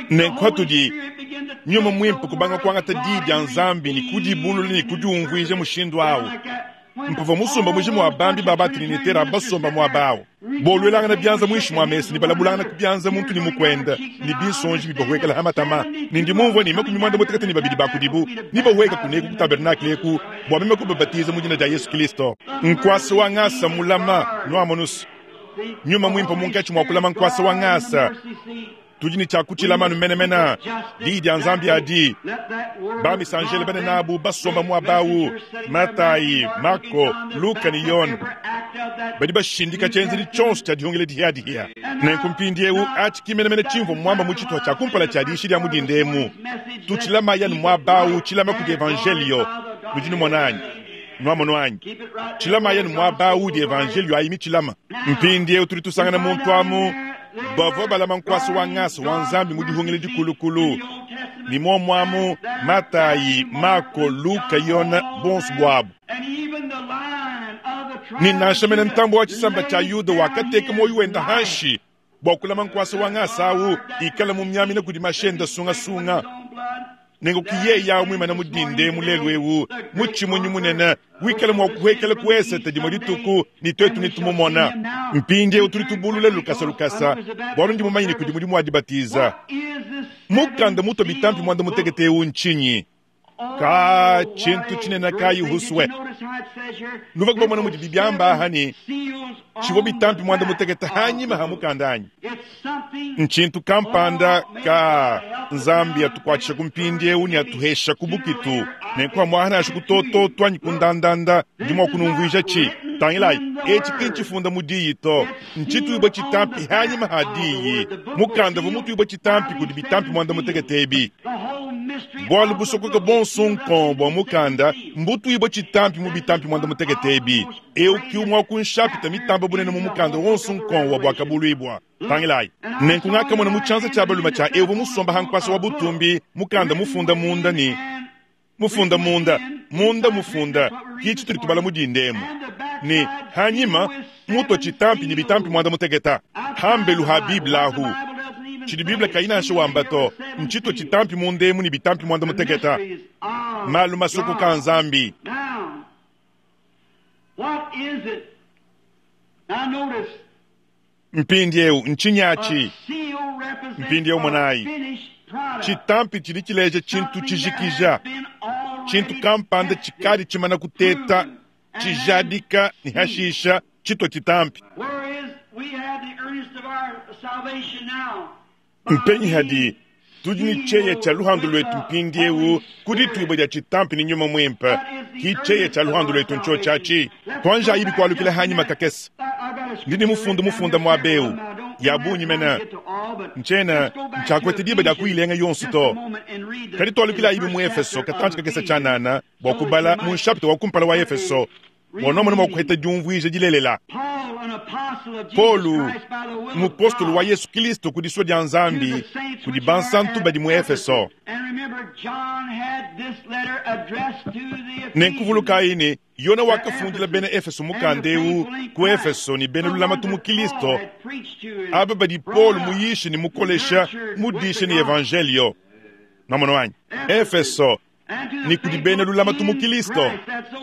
Nenku patudi Nyuma Muimpe kubanga kuangata Diyi dia Nzambi ne kudibulula ne kudiumvuija mushindu awu, mpavua musumba mujima wa bambi ba ba-Trinitaire aba basomba muaba awu, boluelangana bianza muinshi mua mesa ne balabulangana ku bianza muntu ne mukuende, ne binsonji bibahuekela ha matama. Ne ndi mumvue ne makumi muanda mutekete ne babidi ba kudibu nebahueke kuneku ku tabernakle eku bua meme kubabatiza mu dina dia Yesu Kilisto. Nkuasa wa ngasa mulama, nuamonus, Nyuma Muimpe munkatshi mua kulama nkuasa wa ngasa. Tudi ne tshia kutshilama anu menemene Diyi dia Nzambi adi. Ba-misanjele banene abu basomba muaba au, Matayi, Mako, Luka ne Yone, badi bashindika tshienzedi tshionso tshia dihungila dihiadihia. Nenku mpindieu, atshi ki menemene tshimvua muamba mu tshituha tshia kumpala tshia diyisha dia mu dinda emu. Tutshilamayi anu muaba au, tshilama kudi Evanjeliyo. Nudi numona anyi? Nuamonu anyi? Tshilamayi anu muaba au udi Evanjeliyo ayi mitshilama. Mpindieu tudi tusangana muntu amu bavua balama nkuasa wa ngasa wa Nzambi mu dihungila dikulukulu, ne muomu amu Matayi, Mako, Luka, Yone, bonso buabu. Ne nansha mene ntambue wa tshisamba tshia Yuda wakateka muoyo wende hanshi bua kulama nkuasa wa ngasa au ikala mumiamina kudi mashi ende sungasunga. Nenku ki yeye awu muimane mu dinda emu lelu ewu, mutshimunyi munene, wikala mua kuhuekela ku esete dimue dituku, ne tuetu netumumona. Mpindieu tudi tubulula lukasa lukasa, bualu ndi mumanye ne kudi mudimu wa dibatiza. Mukanda mutua bitampi muanda mutekete eu ntshinyi? Ka tshintu tshinene kayi husue. Nuvua bamona mudibi biamba aha ne tshivua bitampi muanda mutekete hanyima ha mukanda anyi? Ntshintu kampanda ka Nzambi atukuatshisha ku mpindieu ne atuhesha ku bukitu. Nenku amuaha nansha ku tototo anyi ku ndandanda, ndi mua kunumvuija tshi. Tangilayi, etshi ki ntshifunda mu diyi to, ntshituibue tshitampi hanyima ha diyi. Mukanda uvua mutuibue tshitampi kudi bitampi muanda mutekete ebi. Bualu busokoka buonso nkong bua mukanda mbutuibue tshitampi mu bitampi muanda mutekete ebi. Eu ki umue wa ku nshapita mitamba bunene mu mukanda wonso nkong wa Buakabuluibua. Tangilayi! Nenku ngakamona mu tshianza tshia balume tshia eu uvua musomba ha nkuasa wa butumbi mukanda mufunda munda ne mufunda munda, munda mufunda, ki tshitudi tubala mu dinda emu, ne hanyima mutua tshitampi ne bitampi muanda muteketa. Hambelu ha Bible ahu, tshidi Bible kayi nansha wamba to, ntshitua tshitampi munda emu ne bitampi muanda muteketa, malu masokoka a Nzambi. Mpindieu, ntshinyi atshi? Mpindieu monayi, tshitampi tshidi tshileja tshintu tshijikija, tshintu kampanda tshikadi tshimana kuteta, tshijadika ne hashisha tshitua tshitampi. Mpenyi hadi tudi ne tshieya tshia luhandu luetu mpindieu ku dituibua dia tshitampi ne Nyuma Muimpe? Ki tshieya tshia luhandu luetu ntshiotshi atshi. Tuanjayi bikualukila hanyima kakese. Ndi ne mufundu mufunda muaba eu ya bungi mene, ntshiena ntshiakuete diba dia kuyilenga yonso to. Kadi tualukilayi mu Efeso katantshi kakese tshianana bua kubala mu nshapita wa kumpala wa Efeso bua nuamone mua kuheta diumvuija dilelela. Paulo, mupostolo wa Yesu Kilisto ku disua dia Nzambi, kudi bansantu badi mu Efeso. Nenku vulukayi ne, Yone wakafundila bena Efeso mukanda eu ku Efeso ne bena lulamatu mu Kilisto, aba badi Paulo muyishe ne mukolesha, mudishe ne evanjelio. Nuamonu anyi? Efeso ne kudi bena lulamatu mu Kilisto,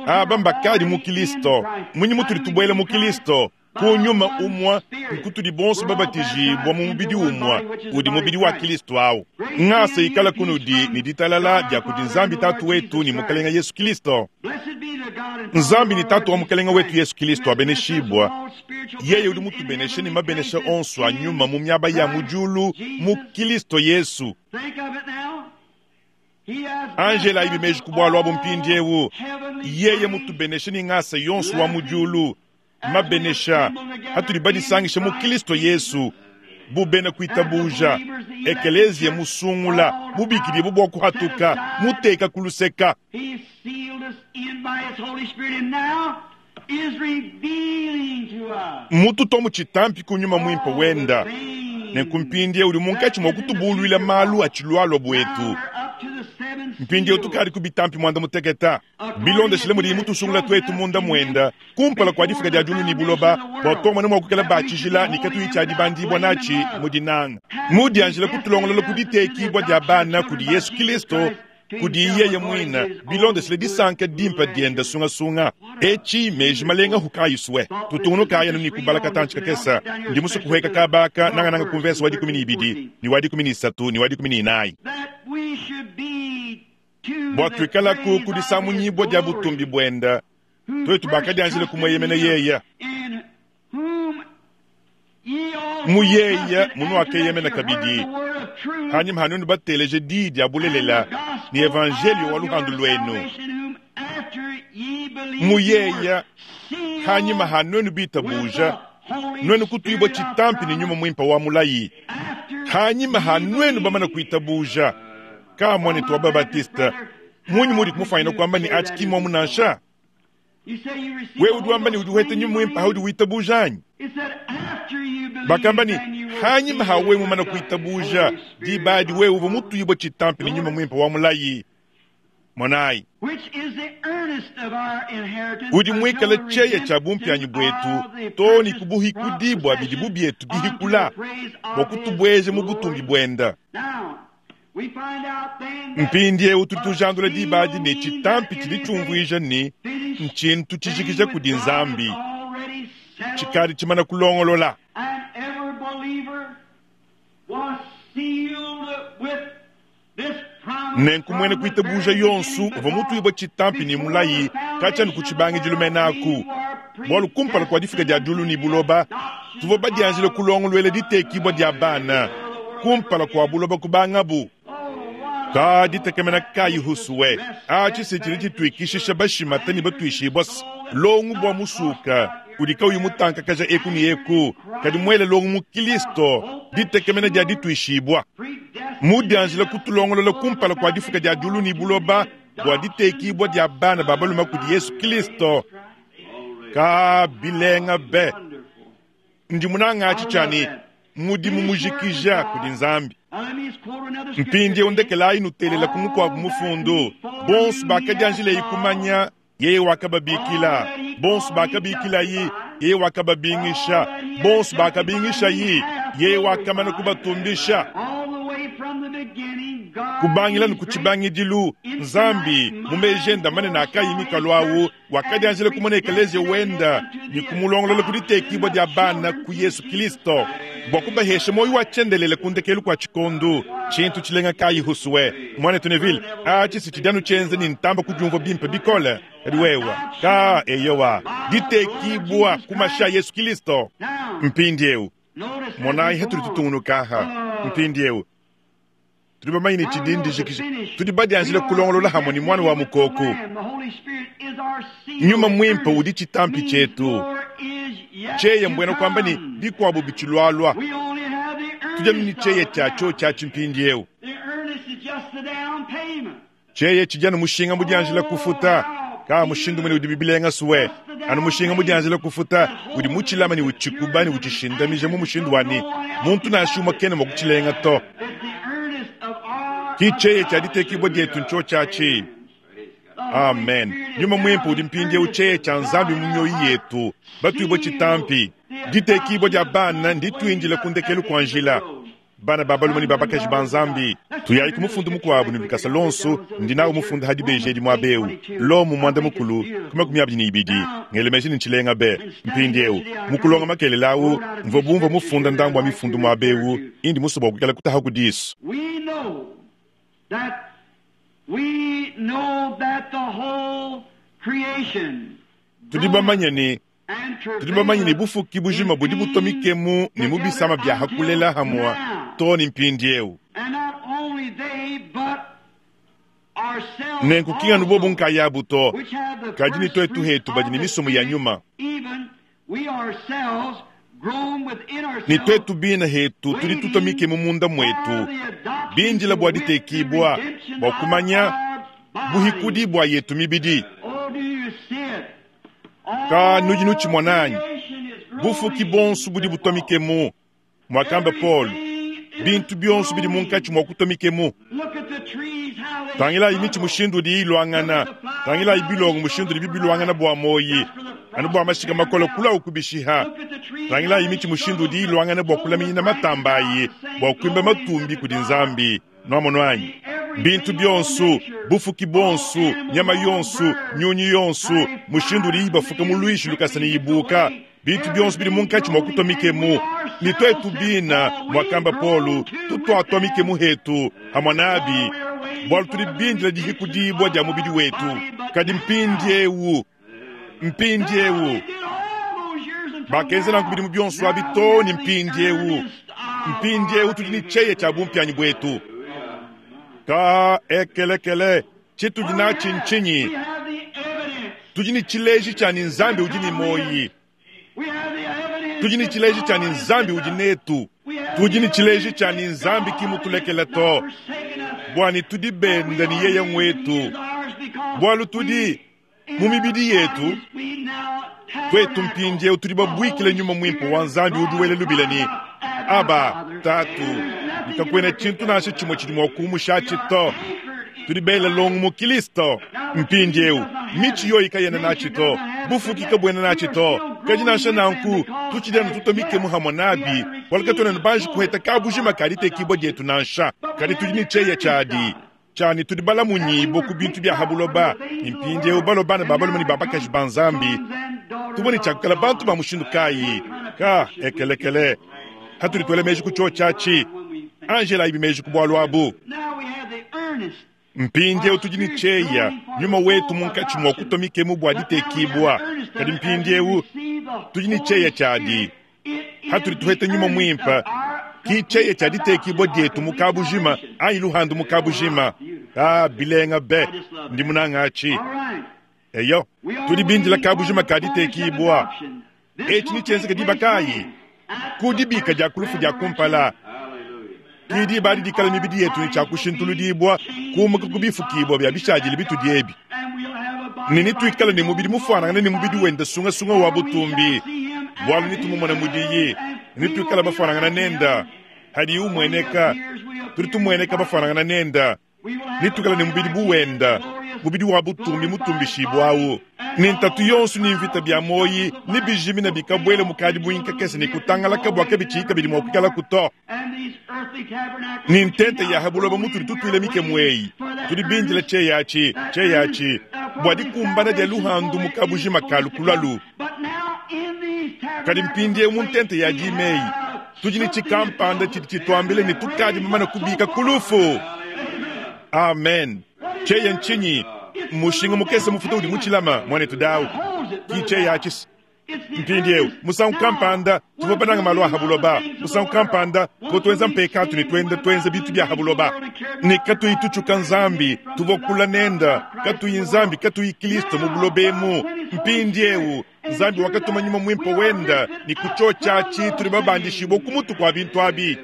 aba mbakadi mu Kilisto. Munyi mutudi tubuela mu Kilisto? Ku nyuma umue nkutudi bonso babatijibua mu mubidi umue, udi mubidi wa Kilisto au. Ngasa ikala kunudi ne ditalala dia kudi Nzambi Tatu wetu ne Mukelenge Yesu Kilisto. Nzambi ne Tatu wa Mukelenge wetu Yesu Kilisto abeneshibua, yeye udi mutubeneshe ne mabenesha onso a nyuma mu miaba ya mu diulu mu Kilisto Yesu. Angela ibi meji ku bualu abu mpindieu, yeye mutubeneshe ne ngasa yonso wa mu diulu, mabenesha atudi badisangisha mu Kilisto Yesu bu bena kuitabuja, ekeleziya musungula, mubikidibue bua kuhatuka, muteka ku luseka. Mmututua mu tshitampi ku Nyuma Muimpe wenda, nenku mpindieu udi munkatshi mua kutubuluila malu atshilualua buetu. Mpindieu tukadi ku bitampi muanda muteketa bilondeshile mudiyi mutusungula tuetu munda muenda kumpala kua difika dia diulu ne buloba bua tuamona mua kuikala ba tshijila ne katuyi tshia dibandibua natshi mu dinanga mudianjila kutulongolola ku ditekibua dia bana kudi Yesu Kristo kudi yeye muina bilondeshile disanka dimpa dienda sungasunga eci meji malenga hukayiswe tutungunukaya ni kubala katanchi kakesa ndi musu kuheka kabaka nangananga kumvesa wa dikumi ni ibidi ni wa dikumi ni isatu ni wa dikumi ni inayi bua tuikalaku kudisamunyibwa dia butumbi bwenda twetu bakadianjile kumweyemena yeya muyeya munu akeyemena kabidi hanyuma hanunu bateleje dii dia bulelela ni evangelio wa luhandu lwenu muyeya hanyuma hanwenu bitabuja nwenu kutuibwa chitampi ni nyuma mwimpa wa mulayi hanyuma hanwenu bamana kuitabuja kamwane tuwa babatista munyi mudi kumufanyina kwamba ni achi kimwa munansha wewe udi wamba ni udi uhete nyuma mwimpa haudi witabuja anyi bakamba ni hanyuma hawe mumana kuitabuja dibadi wewe uva mutuibwa chitampi ni nyuma mwimpa wa mulayi monayi udi mwikala cheya cha bumpyanyi bwetu to ni kubuhikudibwa bidi bubyetu bihikula bua kutubweje mu butumbi bwenda mpindiewu tudi tujandula dibadi ne chitampi tshidi tshiumvuija ni nchintu tshijikija kudi nzambi tshikadi tshimana kulongolola nenku mwene kuitabuja yonsu uva mutuibwa chitampi ni mulayi katshianu kutshibangidilu menaku bualu kumpala kua difika dia diulu ni buloba tuvua badianjile kulongoluela ditekibua dia bana kumpala kua buloba kubangabu ka ditekemena kayi husuwe atshi tshidi tshituikishisha bashimata ne batuishibua longu bua musuka udi kauyi mutankakaja eku ne eku kadi muele longu mu Kristo ditekemena dia dituishibua mudianjila kutulongolola kumpala kua difuka dia diulu ne buloba bua ditekibua dia bana ba balume kudi Yesu Kristo ka bilenga be ndi munanga atshi tshiani mudimu mujikija kudi nzambi mpindiewu ndekelayi nutelela ku mukuabu mufundu bonso bakadianjileyi kumanya yeye wakababikila bonso bakabikilayi yeye wakababingisha bonso bakabingishayi yeye wakamana kubatumbisha kubangila ni kutshibangidilu nzambi mumejenda manene akayi mikalo awu wakadianjila kumona ekelezia wenda ni kumulongolola kuditekibua dia bana ku Yesu Kristo bua kubahesha moyo wa tshiendelele kundekelu kua tshikondu tshintu tshilenga kayi husuwe mwana Tuneville atshi si tshidianu tshienza ni ntamba kudiumvua bimpe bikole kadi wewa ka eyowa ditekibua kumasha Yesu Kristo mpindiewu monayi hetuli tutungunukaha mpindiewu tudi bamanye ne tshidi ndijikija tudi badianjile kulongolola hamwe ni mwana wa mukoku nyuma mwimpe udi chitampi chetu cheya mbwena kwamba ni bikuabu bichilwalwa tujanu ni cheya chacho cha chimpindiewu cheya chijana mushinga mudianjila kufuta ka mushindu mwene udi bibilenga suwe anu mushinga mudianjila kufuta udi muchilama ni uchikuba ni uchishindamija mu mushindu wani muntu nashuma kene mwa kuchilenga to kicheye cha ditekibwa dietu ncho chachi amen nyuma mwimpe udi mpindiewu cheye cha nzambi mu mioyo yetu batuibwa chitampi ditekibwa dia bana ndituindila kundekelu kua njila bana ba balume ne ba bakaji ba nzambi tuyayi ku mufundu mukuabu ne lukasa lonso ndi nawu mufunda hadi bejedi muabewu lomu muanda mukulu ku makumi abidi ne ibidi ngelemeji ne ntshilenga be mpindiewu mukulonga makelela awu mvua bumvua mufunda ndambu wa mifundu muabewu indi musoba kuikala kutaha ku disu We know that we know that the whole creation tudi bamanye ni and tudi bamanye ne bufuki bujima budi butomikemu ne mu bisama bia hakulela hamwa to ni mpindiewu and not only they but ourselves nenku kinganu bobu nkayabu to which have the kadi ni first twetu fruits hetu badi of ne the misomo ya Spirit, nyuma even we ourselves grown within ni ourselves twetu bina hetu tudi tutomikemu munda mwetu bindila bua ditekibua bua kumanya buhikudi bua yetu mibidi ka nudi nutshimona anyi bufuki bonso budi butomikemu mwakamba Paul Bintu byonso bidi munkatshi mua kutua mikemu. Tangilayi mitshi mushindu udi iluangana, tangilayi bilongo mushindu udi bibiluangana bua moyi, anu bua mashika makole kulawu kubishiha. Tangilayi mitshi mushindu udi iluangana bua kulaminyina matamba ayi, bua kuimba matumbi kudi Nzambi. Nwamonu anyi? Bintu byonso, bufuki bonso, nyama yonso, nyunyi yonso, mushindu udi ibafuka mu lwishi lukasa ne ibuka. Bintu byonso bidi munkatshi mua kutua mikemu. Ni twetu bina, mwakamba Paulo, tutwatua mikemu hetu, hamwe nabi, bwalu tuli bindila dihikudibwa dia mubidi wetu. Kadi mpindiewu, mpindiewu, bakenza nanku bidimu byonso abi too ne mpindiewu. Mpindiewu tudi ne tsheye tshia bumpianyi bwetu. Ka ekelekele, tshitudi natshi ntshinyi? Tudi ne tshileji tshia ne Nzambi udi ne moyi. Tudi ne tshileji tshia ne Nzambi udi netu. Tudi ne tshileji tshia ne Nzambi ki mutulekela to. Bwani tudi benda ne yeye ngwetu. Bwalu tudi mu mibidi yetu, twetu mpindiewu tudi babwikile nyuma mwimpe wa Nzambi udi wela lubila ne Aba, Tatu, nikakwena tshintu nansha tshimwe tshidi mua kumushatshi to. Tudi bela longo mu Kristo. Mpindiewu mitshi yoyi kayena natshi to, bufuki kabwena natshi to. Kadi nansha nanku tutshidi anu tutua mikemu hamwe nabi, bwalu katuena ne banji kuheta kabujima ka ditekibwa dietu nansha. Kadi tudi ne tshieya tshiadi tshani tudi balamunyibo ku bintu bya habuloba. Mpindiewu balo bana ba balume ne ba bakaji ba Nzambi, tubone tshiakukala bantu ba mushindu kayi? Ka ekelekele hatudi tuela meji ku tshio tshiatshi. Angela ibi meji ku bwalu abu. Mpindiewu tudi ne tshieya nyuma wetu munkatshi mua kutua mikemu bua ditekibwa. Kadi mpindiewu tudi ne tshieya tshiadi hatudi tuheta nyuma mwimpe, ki tshieya tshia ditekibwa dietu mu kabujima anyi luhandu mu kabujima. Ah, bilenga be, ndi munangatshi. Eyo, tudi bindila kabujima ka ditekibwa. Etshi ni tshienzeka diba kayi? Ku dibika dia kulufu dia kumpala. Ki diba adi dikala mibidi yetu ne tshia kushintuludibwa, kumuka ku bifukibwa bya bishadile bitudi ebi. Ne nituikale ne mubidi mufuanangane ne mubidi wenda sungasunga wa butumbi. Bwalu nitumumona mudiyi, nituikale bafuanangana nenda. Hadi umweneka, tudi tumweneka bafuanangana nenda. Nituikale ne mubidi buwenda, mubidi wa butumbi mutumbishibwawu. Ne ntatu yonso ne mvita bya moyi, ne bijimina bikabwele mukadi buinkakese ne kutangalaka bwa kabitshi kabidi mua kuikala kuto. Ne ntente ya habuloba mutudi tutuile mikemu eyi, tudi bindila tsheyatshi, tsheyatshi, bua dikumbana dia luhandu mu kabujima ka lukulalu. Kadi mpindiewu mu ntente ya dimeyi, tudi ne tshikampanda tshidi tshituambile ne tukadi bamane kubika kulufu. Amen. Tsheye ntshinyi? Mushinga mukese mufuta udi mutshilama mwanetu dawu. Ki tsheyatshi. Mpindiewu musangu kampanda tuvua bananga malu a habuloba. Musangu kampanda tuvua tuenza mpekatu ne tuenda tuenza bintu bya habuloba. Ne katuyi tutshuka Nzambi, tuvua kula nenda, katuyi Nzambi, katuyi Kristo mu buloba emu. Mpindiewu Nzambi wakatuma nyuma mwimpe wenda ne kutshotshatshi tudi babandishibwa ku mutu kwa bintu abi.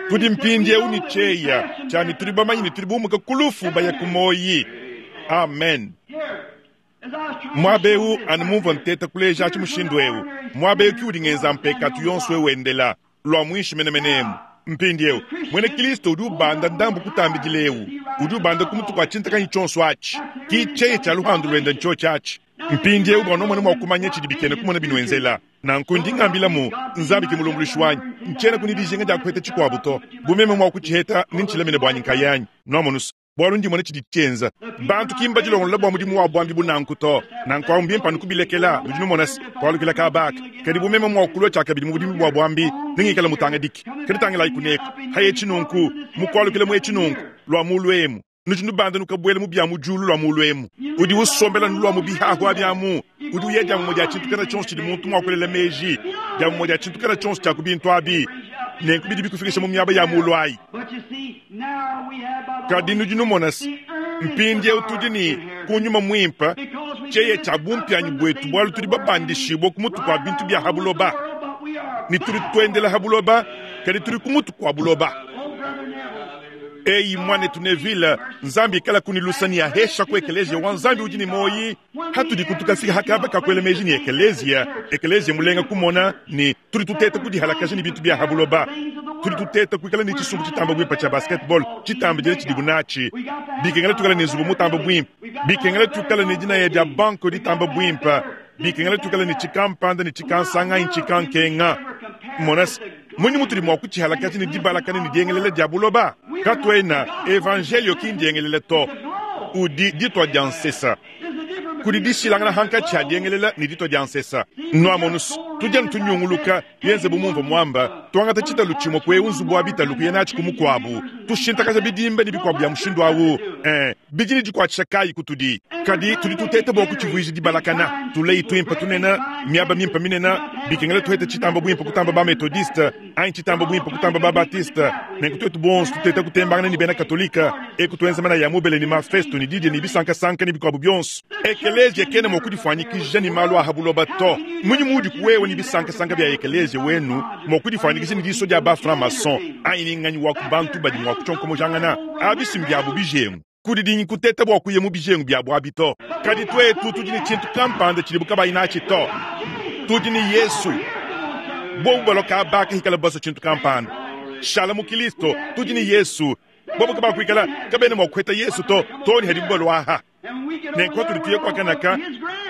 Tudi mpindiewu ne tshieya tshani tudi bamanye ne tudi bumuka kulufu baya ku moyi. Amen. Mwabeu anu mumvua nteta kuleja atshi mushindu ewu. Mwabeu ki udi ngenza mpekatu yonso ewu endela lwa mwishi menemenemu. Mpindiewu mwene Kristo udi ubanda ndambu kutambidila ewu, udi ubanda ku mutu kwa tshintakanyi tshionso atshi. Ki tshieya tshia luhandu lwenda ntshio tshiatshi. Mpindiewu bua nomona mua kumanya tshidi bikena kumona binuenzela. Nanku ndi ngambilamu Nzambi ki mulumbuluishi wanyi. Ntshiena kuni dijinga dia kuheta tshikuabu to. Bu meme mua kutshiheta ni ntshilamine buanyi nkayanyi. Nwamonusa. Bwalu ndimona tshidi tshienza. Bantu ki mbadilongolola bua mudimu wa bwambi bunanku to. Nanku awu mbimpe anu kubilekela, nudi numona se, kwalukila kabaka. Kadi bu meme mua kulua tshiakabidi mu budimi bua bwambi, nengikale mutangadike. Kadi tangilayi kuneka. Haye tshinunku, mukwalukila mu etshi nunku, lwa mulu emu. Nudi nubanda nukabwela mu bya mu diulu lwa mulu emu. Udi usombela nulwa mu bihahu abyamu. Udi uya dia mumwe dia tshintu kana tshionso tshidi muntu mua kulela meji. Dia mumwe dia tshintu kana tshionso tshia ku bintu abi. Nenku bidi bikufikisha mu miaba ya mulu ayi. Kadi nudi numona se, mpindiewu tudi ne ku nyuma mwimpe, tshieya tshia bumpianyi bwetu bwalu tudi babandishibwa ku mutu kwa bintu bya habuloba. Ne tudi tuendela habuloba, kadi tudi ku mutu kwa buloba. Eyi mwanetu Neville, Nzambi ikala kuni lusani ya hesha ku ekelezia wa Nzambi udi ne moyi. Hatudi kutukafika hakaba kakwela meji ni ekelezia. Ekelezia mulenga kumona ni tudi tuteta kudihalakaja ni bintu bya habuloba. Tudi tuteta kuikala ni tshisumbu tshitamba bwimpa tsha basketball, tshitamba dile tshidibu natshi. Bikengela tukala ne nzubu mutamba bwimpa. Bikengela tukala ne dinaya dia banko ditamba bwimpa. Bikengela tukala ne tshikampanda ne tshikansanga ntshikankenga. Monas, munyi mutudi mua kutshihalakaja ne dibalakana ne diengelela dia buloba. Katuena evangelio ki ndiengelela to. Udi ditwa dia nsesa. Kudi dishilangana hankatshi a diengelela ne ditwa dia nsesa. Nwamonus, tudya ntunyunguluka yenze bumumva mwamba, twangata tshitalu tshimwe kwe nzubu wa bitalu kuya natshi ku mukuabu. Tushintakaja bidimba ne bikuabu bya mushindu awu. Eh, bidi ne dikuatshisha kayi kutudi. Kadi tudi tuteta bua kutshivuija dibalakana. Tuleyi twimpa tunena, miaba mimpa minena, bikengela tuheta tshitamba bwimpa kutamba ba methodiste, anyi tshitamba bwimpa kutamba ba baptiste. Nenku twetu bonso tuteta kutembangana ni bena katolika, eku tuenza mana ya mubele ni mafesto ni didie ni bisankasanka ni bikuabu byonso. Ekelezia kena mua kudifanyikija ni malu a habuloba to. Munyi mudi kuwewe ni bisankasanka bya ekelezia wenu mua kudifanyikija ni diso dia ba franc-maçon, anyi ni nganyi wa kubantu badi mua kutshonkомojangana. Abisi mbyabu bijengu. Kudi dinyi kuteta bua kuya mu bijengu byabu abi to. Kadi twetu tudi ne tshintu kampanda tshidibu kabayi natshi to. Tudi ne Yesu. Bobu baloka abaka hikala baso tshintu kampanda. Shala mu Kristo, tudi ne Yesu. Bobu kabakuikala kabena mua kuheta Yesu to, to ni hadibu balwaha. Nenku tudi tuye kwakanaka,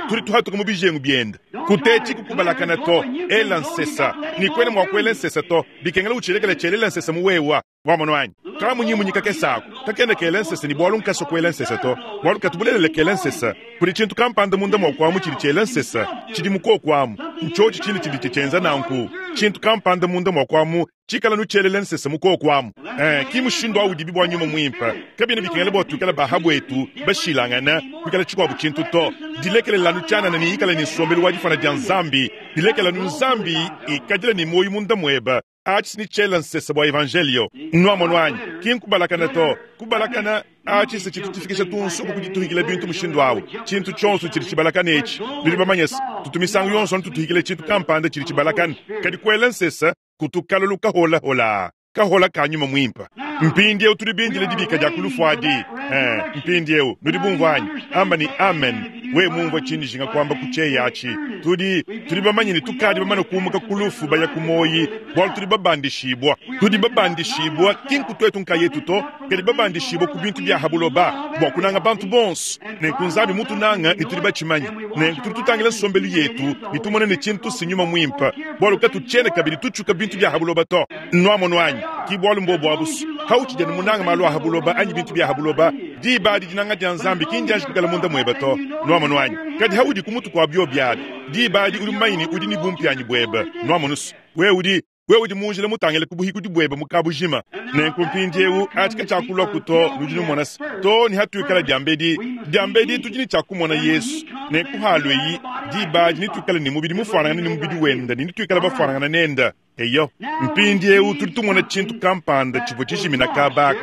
tudi tuhatuka mu bijengu byenda. Kutetshi kukubalakana to, ela nsesa. Ni kwena mua kuela nsesa to, bikengela utshilekela tshelela nsesa mu wewa. Wamono anyi? Kamunyimunyi kakesako, kakena kela nsesa ni bwalu nkaso kuela nsesa to. Bwalu katubulelele kela nsesa. Kuli tshintu kampanda munda mua kuamu tshidi tshiela nsesa, tshidi mukoko amu. Ntshotsho tshine tshidi tshienza nanku. Tshintu kampanda munda mua kuamu, tshikala nutshelela nsesa mukoko amu. Eh, ki mushindu awu dibi bwa nyuma mwimpa. Kabina bikengela bwa tukala bahabu etu, bashilangana, kuikala tshikuabu tshintu to. Dilekelela nutshana ni ikala ni nsombelu wa difana dia Nzambi. Dilekela nu Nzambi ikadila ni moyo munda mweba. Achi ni tshela nsesa bwa evangelio. Nwamono anyi, ki nkubalakana to. Kubalakana achi se tshitu tshifikisha tunsuku kudituhikila bintu mushindu awu. Tshintu tshonso tshidi tshibalakana etshi. Nudi bamanye se, tutumisangu yonso ntutuhikile tshintu kampanda tshidi tshibalakana. Kadi kuela nsesa kutukalulu kahola hola. Kahola ka nyuma mwimpa. Mpindi eu tudi bindile dibika dia kulufu adi. Eh, mpindi eu nudi bumvua anyi? Amba ni amen. We mumvua tshindi jinga kwamba kucheya achi. Tudi tudi bamanye ni tukadi bamane kumuka kulufu baya kumoyi, bwalu tudi babandishibwa. Tudi babandishibwa kinku twetu nkayetu to, kadi babandishibwa ku bintu bya habuloba, bwa kunanga bantu bonso. Nenku Nzambi mutunanga ni tudi bachimanye. Nenku tudi tutangila nsombelu yetu, ni tumone ne tshintu sinyuma mwimpa. Bwalu katutshiene kabidi tutshuka bintu bya habuloba to. Nwamono anyi? Ki bwalu mbobu abusu. Hauchi jana munanga malu a habuloba anyi bintu bya habuloba, diba dinanga dia Nzambi kinjanji kukala munda mweba to. Nwamono anyi? Kadi haudi kumutu kwa bio byabi. Diba di uli mmanyi udi ni bumpyanyi bweba. Nwamonusu. We udi we udi munjila mutangile kubuhiku dibweba mukabujima. Nenku mpindiewu atika tshakulwa kuto nudi numonasi. To ni hatuikala diambedi. Diambedi tudi ni tshakumona Yesu. Nenku halweyi diba di nituikala ni mubidi mufanangana ni mubidi wenda ni nituikala bafanangana nenda. Eyo, mpindiewu tudi tumona tshintu kampanda tshivua tshijimina kabaka.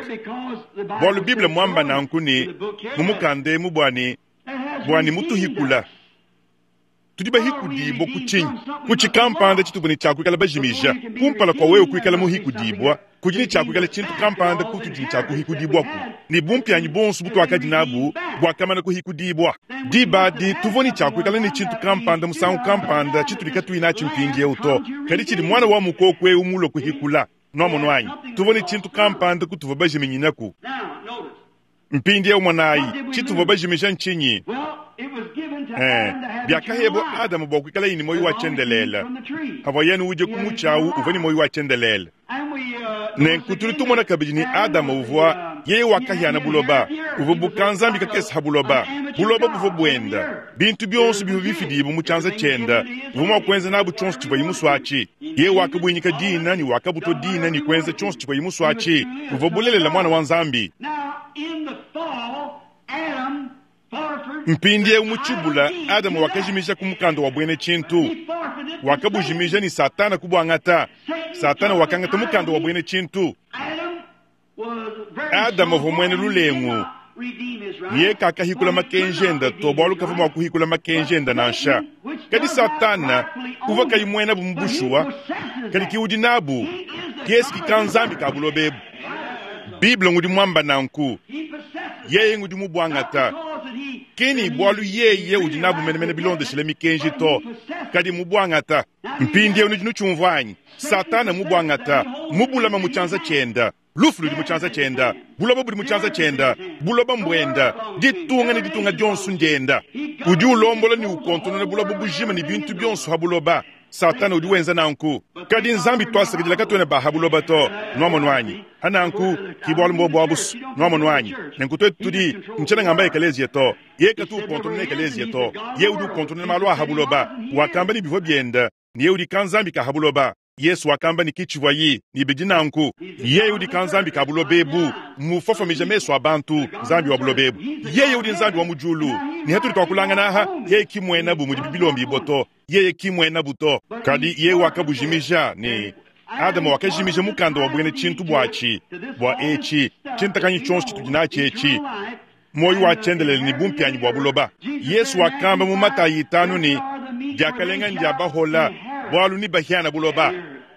Bwalu Bible mwamba nanku ni mumukande mu bwani bwani mutuhikula. Tudi bahikudibwa ku tshinyi? Ku tshikampanda tshituvua ne tshiakuikala bajimija. Kumpala kwa wewe kuikala muhikudibwa, kudi ne tshiakuikala tshintu kampanda kutudi ne tshiakuhikudibwaku. Ne bumpyanyi bonso butuakadi nabu bwakamana kuhikudibwa. Diba di tuvua ne tshiakuikala ne tshintu kampanda musangu kampanda tshitudi katuyi natshi mpindiewu to. Kadi tshidi mwana wa mukoko eu mulue kuhikula. Nwamono anyi? Tuvua ne tshintu kampanda kutuvua bajiminyinaku. Mpindiewu mwanayi, tshituvua bajimija ntshinyi? Eh, byakahebwa Adamu bwa kuikala ni moyo wa tshendelela. Havwa yenu uje kumuchawu uvwa ni moyo wa tshendelela. Nenku tudi tumona kabidi ni Adamu uvwa yeye wakahiana buloba, uvwa bukanzambi kakesa ha buloba. Buloba buvwa bwenda. Bintu byonso bivwa bifidibu mu tshanza tshienda. Uvwa mua kuenza nabu tshionso tshivwa yimuswatshi. Yeye wakabwinyika dina ni wakabutwa dina ni kuenza tshionso tshivwa yimuswatshi. Uvwa bulelela mwana wa Nzambi. Mpindiewu mu tshibula, Adamu wakajimija ku mukanda wa bwene tshintu. Wakabujimija ni Satana kubwangata. Satana wakangata mukanda wa bwene tshintu. Adamu uvua mwene lulengu. Ye kakahikula makenjenda to bwalu kavua mua kuhikula makenjenda nansha. Kadi Satana uvua kayi mwena bu mubushuwa, kadi ki udi nabu, kiesi ki ka Nzambi ka bulobebu. Bible ngudi mwamba nanku. Yeye ngudi mubwangata. Ki ni bwalu yeye udi nabu menemene bilondeshile mikenji to, kadi mubwangata. Mpindieu nudi nutshiumvwa anyi? Satana mubwangata, mubulama mu tshianza tshienda. Lufu ludi mu tshianza tshienda, buloba budi mu tshianza tshienda, buloba mbwenda, ditunga ne ditunga dionso ndienda. Udi ulombola ne ukontonona buloba bujima ne bintu bionso ha buloba. Satana udi wenza nanku. Kadi Nzambi twasakidila katuena ba ha buloba to. Nwamonu anyi? Ha nanku, ki bwalu mbo bwa busu. Nwamonu anyi? Nenku twetu tudi, ntshiena ngamba ekelezia to. Ye katu ukontonona ekelezia to. Ye udi ukontonona malu a ha buloba. Wakamba ne bivua bienda, ne ye udi ka Nzambi ka ha buloba. Yesu wakamba ne kitshivua yi, ne bidi nanku. Yeye udi ka Nzambi ka buloba ebu, mufofomija mesu a bantu, Nzambi wa buloba ebu. Yeye udi Nzambi wa mu diulu. Ne hatudi twakulangana aha, yeye ki muena bu mudi bibilombi to. Yeye ki muena bu to. Kadi yeye wakabujimija ne Adama wakajimija mukanda wa bwena tshintu bwatshi, bwa etshi, tshintakanyi tshionso tshitudi natshi etshi, moyo wa tshiendelele ne bumpianyi bwa buloba. Yesu wakamba mu Matayi itanu ne, diakalenga ndia bahola, bwalu ni bahiana buloba.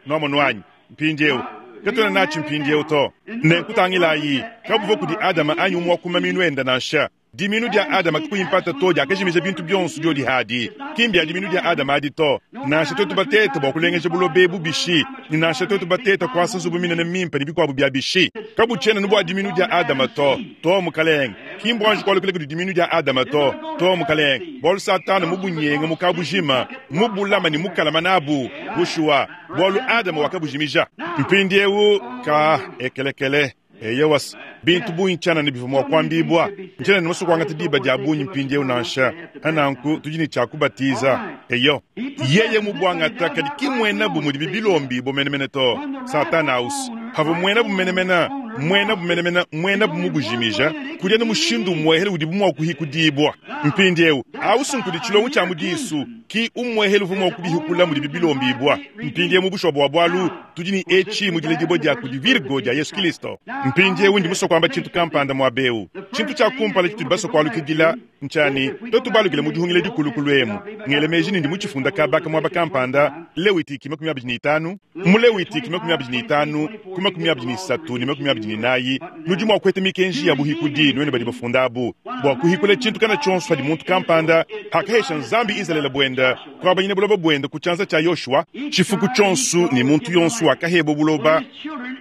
Nwamonu anyi? Mpindieu. Katuena natshi mpindieu to. Nenkutangilayi, kabuvua kudi Adama anyi umwe wa kumaminu enda nansha. Diminu dia Adama kakuyimpata to diakajimija bintu bionso diodi hadi. Ki mbia diminu dia Adama adi to. Nansha twetu batete bua kulengeja buloba ebu bishi, ne nansha twetu batete kuasa nzubu minene mimpe ne bikuabu bia bishi. Kabutshiena bua diminu dia Adama to. To mukalenge. Ki mbuanji kualukila kudi diminu dia Adama to. To mukalenge. Bualu Satana mubunyenga mukabujima, mubulama ne mukalama nabu. Bushuwa, bualu Adama wakabujimija. Mpindieu ka ekelekele. Eyewas, bintu bungi tshianana bivua mua kuambibua. Ntshianana musue kuangata diba dia bungi mpindieu nansha. Nanku tudi ne tshia kubatiza. Eyo, yeye mubwangata kadi ki muena bu mudi bibilombi bo menemene to. Satana aus. Havua muena bu menemene, muena bu menemene, muena bu mubujimija, kudia ne mushindu muehele udi bu mua kuhikudibua. Mpindieu, aus nkudi tshilongo tshia mudisu, ki umuehele uvua mua kubihikula mudi bibilombibua. Mpindieu mu bushuwa bua bualu, tudi ne etshi mu diledibua dia kudi Virgo dia Yesu Kristo. Mpindieu ndi musue kuamba tshintu kampanda muaba eu. Tshintu tshia kumpala tshitudi basue kualukidila ntshani, twetu balukile mu dihungila dikulukulu emu. Ngele meji ne ndi mutshifunda kabaka muaba kampanda, Lewitiki makumi abidi ne itanu. Mu Lewitiki makumi abidi ne itanu, ku makumi abidi ne isatu ne makumi abidi ne inayi, nudi mua kueta mikenji ya buhikudi nuenu badi bafunda abu. Bua kuhikula tshintu kana tshionso hadi muntu kampanda, hakahesha Nzambi Izalele buenda, kuabanyina buloba buenda ku tshianza tshia Yoshua, tshifuku tshionso ne muntu yonso wakahebwa buloba,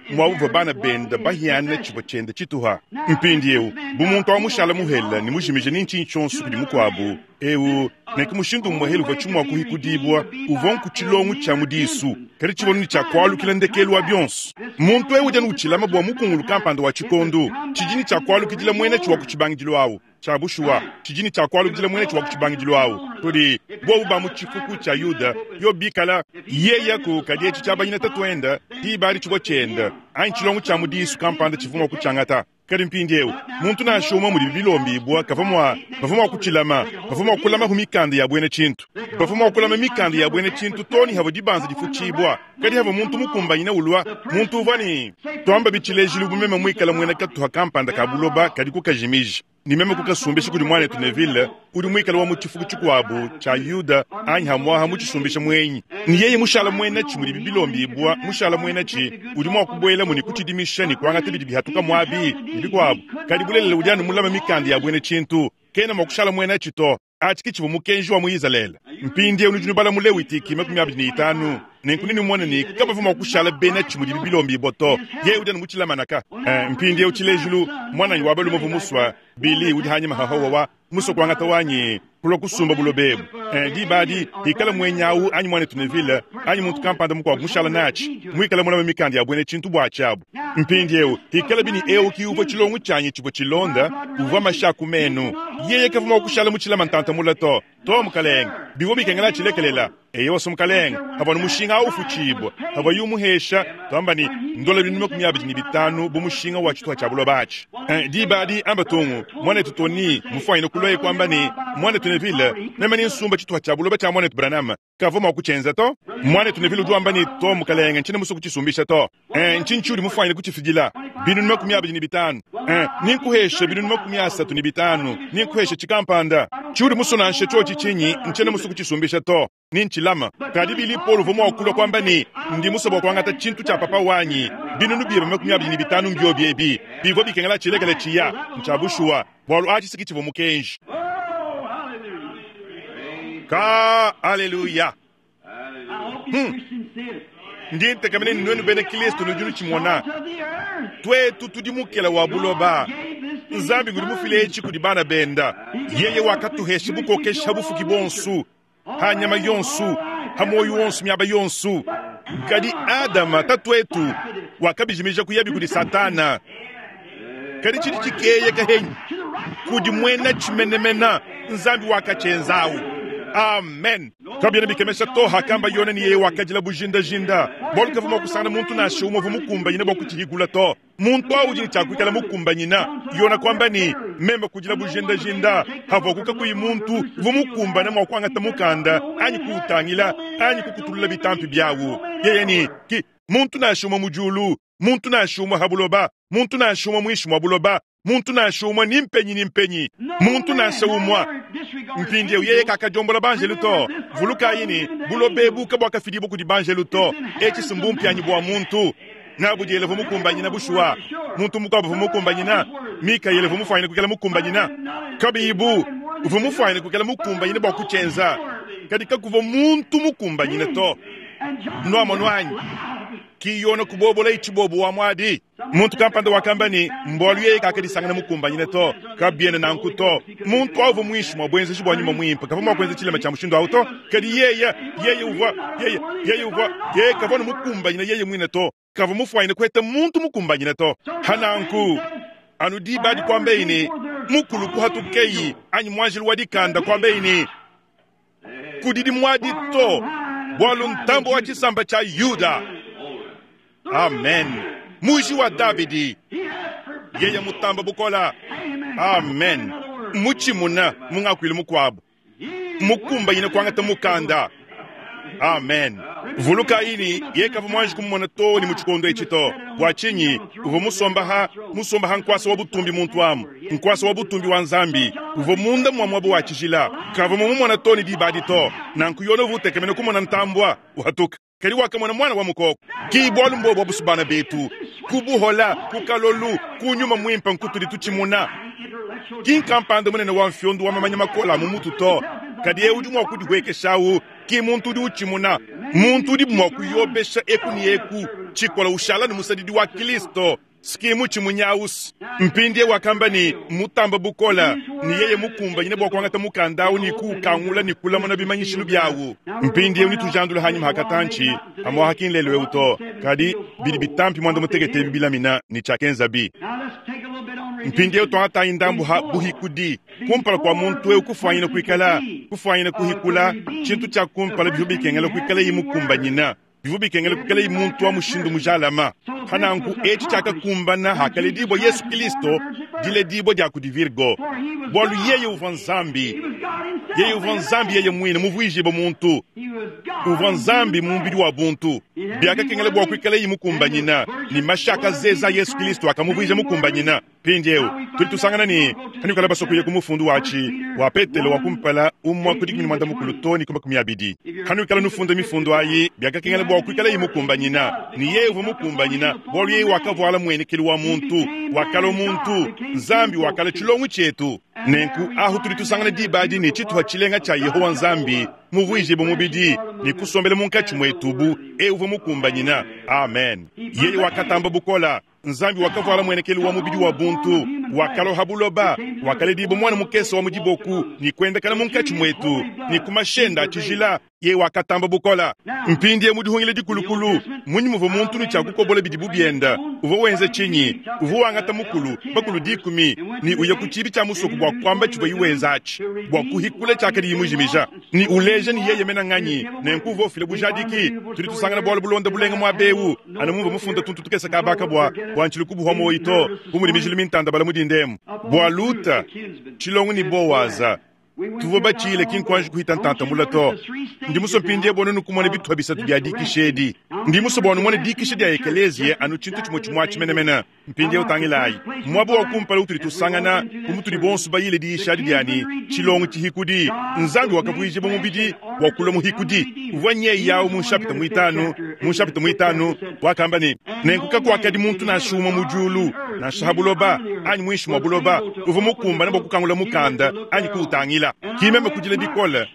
mwabuvua bana benda bahiana tshivua tshienda tshituha. Mpindieu, bu muntu wa mushala muhela ne mujimije ni ntshinyi tshionso kudi mukuabu, eu nenku mushindu muhela uvua tshimua kuhikudibua, uvua nku tshilongo tshia mudisu, kadi tshivua ni tshia kualukila ndekelu wa bionso. Muntu eu udi anu utshilama bua mukungulu kampanda wa tshikondu, tshidi ni tshia kualukidila muena tshi wa ku tshibangidilu awu. Tshia bushuwa, tshidi ni tshia kualukidila muena tshi wa ku tshibangidilu awu. Tudi bobu ba mu tshifuku tshia Yuda, yo bikala yeye ku kadi etshi tshia banyina tatuenda, diba tshivua tshienda, anyi tshilongo tshia mudisu kampanda tshivua mua kutshiangata. Kadi mpindieu, muntu nansha umwe mudi bilombibua kavua mua, bavua mua kutshilama, bavua mua kulama hu mikanda ya bwena tshintu. Bavua mua kulama mikanda ya bwena tshintu to ni havua dibanza difutshibua. Kadi havua muntu mukumbanyina ulua, muntu uvua ni twamba bitshilejilu bu meme muikala muena katuha kampanda ka buloba kadi kukajimija. Ni meme kukasumbisha kudi mwanetu Neville, udi muikala wa mu tshifuku tshikuabu tshia Yuda anyi hamwaha mu tshisumbisha muenyi. Ni yeye mushala muena tshi mudi bibilombibua, mushala muena tshi udi mua kubuela mu ni kutshidimisha ni kuangata bidi bihatuka muabi ni bikuabu. Kadi bulelela udi anu mulama mikanda ya bwena tshintu, kena mua kushala muena tshi to. Atshi tshivua mukenji wa mu Izalele. Mpindieu nudi nubala mu Lewitiki makumi abidi ne itanu. Nenku nini muone ni kabavua mua kushala bena tshi mudi bibilombibua to. Yeye udi anu mutshilamanaka. Eh, mpindieu tshilejilu, mwananyi wa balume uvua musua, Bili udi hanyima hahowa wa musua kuangata wanyi kulua kusumba buloba ebu. Eh, diba adi, hikala muenyawu anyi mwanetu Neville, anyi muntu kampanda mukuabu mushala natshi, muikala mulama mikanda ya bwena tshintu bua tshiabu. Mpindieu, hikala bini eu ki uvua tshilongo tshianyi tshivua tshilonda, uvua masha ku menu. Yeye kavua mua kushala mutshilama ntanta mula to. To mukalenge, bivua bikengela tshilekelela. Eye wasu mukalenge, havua ni mushinga au ufutshibua, havua yu muhesha, twamba ni ndola binunu makumi abidi ne bitanu bu mushinga wa tshituha tshia buloba atshi. Eh, diba adi amba tungu, mwanetu Tony, mufuanyine kulua kwamba ni mwanetu Neville, meme ni nsumba tshituha tshia buloba tshia mwanetu Branham, kavua mua kutshienza to. Mwanetu Neville udi wamba ni to mukalenge, ntshiena musue kutshisumbisha to. Eh, ntshinyi tshiudi mufuanyine kutshifidila? Binunu makumi abidi ne bitanu. Eh, ninkuheshe binunu makumi asatu ne bitanu, ninkuheshe tshikampanda. Tshiudi musue nansha tshiotshi tshinyi, ntshiena musue kutshisumbisha to. Ni ntshilama. Kadi Bili Paul uvua mua kulua kwamba ni, ndi musue bua kuangata tshintu tshia papa wanyi, Binunu byebe makumi abidi ne bitanu mbyobi ebi. Bivua bikengela tshilekela tshiya, ntshia bushuwa, bualu atshi si tshivua mukenji. Ka aleluya. Hmm. Ndi ntekamene ne nuenu bena Kristo nudi nutshimona. Twetu tudi mukela wa buloba. Nzambi ngudi mufile etshi kudi bana benda. Yeye wakatuhesha bukokesha bufuki bonsu, ha nyama yonsu, ha moyo wonsu miaba yonsu. Kadi Adama tatuetu wakabijimija kuyabi kudi Satana. Kadi tshidi tshikeye kahenyi kudi mwena tshimenemena Nzambi wakachenzawu. Amen. Kabyena bikemesha to hakamba Yona ni yeye wakajila bujindajinda. Bualu kavua mua kusangana muntu nansha umue uvua mukumbanyine bua kutshihigula to. Muntu awu udi ne tshia kuikala mukumbanyina. Yona kwamba ni meme kujila bujindajinda havua kukakuyi muntu uvua mukumbane mua kuangata mukanda anyi kuutangila anyi kukutulula bitampi byawu. Yeye ni ki muntu nansha umue mu diulu, muntu nansha umue ha buloba, muntu nansha umue muinshi mua buloba, muntu nansha umue ni mpenyi ni mpenyi, muntu nansha umue. Mpindieu yeye kakajombola banjelu to. Vulukayi ni buloba ebu kabwakafidibwa kudi banjelu to. Etshi si mbumpyanyi bua muntu. Nabudiele uvua mukumbanyina bushuwa. Muntu mukuabu uvua mukumbanyina. Mikaele uvua mufwanyine kuikala mukumbanyina. Kabibu uvua mufwanyine kuikala mukumbanyina bua kutshenza. Kadi kakuvua muntu mukumbanyina to. Nwamonu anyi? Ki Yona kubobola ichibobo wa mwadi. Muntu kampanda wakamba ni mbwalu yeye kakadisangana mukumbanyina to. Kabyena nanku to. Muntu awu muinshi mwa bwenzeji bwa nyuma mwimpe. Kavua mua kuenza tshilema tshia mushindu awu to. Kadi yeye, yeye uvua, yeye, yeye uvua, yeye kavua ne mukumbanyina yeye mwine to. Kavua mufwanyine kweta muntu mukumbanyina to. Hananku anu diba adi kwamba ini mukulu kuhatukeyi anyi mwanjelu wa dikanda kwamba ini kudidi mwadi to. Bwalu ntambo wa tshisamba tshia Yuda. Amen. Muji wa Davidi. Yeye mutamba bukola. Amen. Muchimuna mungakwile mukwabo. Mukumbanyine kwangata mukanda. Amen. Vuluka ini yekava mwanji kumumona to ni muchikondo echi to. Bwa chinyi uvo musomba ha musomba ha nkwasa wa butumbi muntu amu. Nkwasa wa butumbi wa Nzambi. Uvo munda mwa mwabo wa chijila. Kava mumumona to ni dibadi to. Nanku yona uvutekemene kumona ntambwa uhatuka. Kadi wakamona mwana wa mukoko. Ki bwalu mbobo busubana betu. Kubuhola, kukalolu, kunyuma mwimpa nkutuli tuchimuna. Ki nkampanda munene wa mfyondo wa mamanya makola mu mutu to. Kadi ye udi mwa kudihwekeshawu. Ki muntu udi uchimuna. Muntu udi mwa kuyobesha eku ni eku. Chikola ushala ni musadidi wa Kristo. Skimu chimunyausi. Mpindie wakamba ni mutamba bukola. Ni yeye mukumbanyine bwa kuangata mukanda ni kukangula ni kulamona bimanyishilu byawu. Mpindie uni tujandula hanyuma hakatanchi. Amwa hakinlelwe uto. Kadi bidi bitampi mwanda mutegete bibilamina ni chakenza bi. Mpindie utwangata indambu ha buhikudi. Kumpala kwa muntu eu kufwanyina kuikala. Kufwanyina kuhikula. Chintu cha kumpala bihu bikengela kuikala yimukumbanyina. Bivu bikengela kuikala muntu wa mushindu mujalama. Hananku echi chakakumbana hakaledibwa Yesu Kristo diledibwa dia kudi Virgo. Bwalu yeye uvua Nzambi. Yeye uvua Nzambi yeye mwine muvuijibo muntu. Uvua Nzambi mumbidi wa buntu. Byakakengela bwa kuikala yimukumbanyina. Ni mashaka zeza Yesu Kristo akamuvuija mukumbanyina. Pindiewu tuli tusangana ni hanikala basokuye ku mufundu wachi wa Petelo wa kumpala umwa kudi kumi mwanda mukulu to ni kuma kumi abidi. Hanikala nufunda mifundu ayi byakakengela bwa kuikala yimukumbanyina. Ni yeye uvua mukumbanyina. Bwalu yeye wakavwala mwenekelu wa muntu, wakala muntu, Nzambi wakala tshilongo tshietu. Nenku ahu tuli tusangana dibadi ni tshituha tshilenga tshia Yehowa Nzambi muvuijibo mubidi ni kusombela munkatshi mwetubu e uvua mukumbanyina. Amen. Yeye wakatamba bukola. Nzambi wakavwala mwenekelu wa mubidi wa buntu, wakaloha buloba, wakaledibo mwana mukese wa mudiboku, ni kwendekana munkatshi mwetu, ni kumashenda tshijila, ye wakatamba bukola. Mpindie mudihungile dikulukulu, munyi muvu muntu ni tshia kukobola bidibu byenda, uvua wenza tshinyi, uvua wangata mukulu, bakulu dikumi, ni uya ku tshibi tshia musoku bua kuamba tshivua yiwenza atshi, bua kuhikula tshiakadi yimujimija, ni uleja ni yeye mena nganyi, nenku uvua ufila bujadiki, tudi tusangana bualu bulonda bulenga mua bewu, anu mumvua mufunda tuntu tukese kabaka bua, bua ntshilu kubuhwa moyi to, bu mudi mijilu mintanda bala mudindemu. Bua Luta, tshilongo ni Bowaza, tuvua batshile ki nkuanji kuhita ntanta mula to. Ndi muso mpindie bua nunu kumona bituha bisatu bia dikisha edi. Ndi muso bua numone dikisha dia ekeleziya anu tshintu tshimue tshimue tshimenemene. Mpindie utangilayi. Muaba wa kumpala utudi tusangana, bu mutudi bonso bayile diyisha adi diani, tshilongo tshihikudi. Nzambi wakavuija mubidi, bua kulua muhikudi. Uvua nyeyi yawu mu nshapita muitanu, mu nshapita muitanu wakamba ne, nenku kakuakadi muntu nansha umue mu diulu, nansha ha buloba, anyi muinshi mua buloba, uvua mukumbane bua kukangula mukanda anyi kuutangila. Ki meme kudila bikole,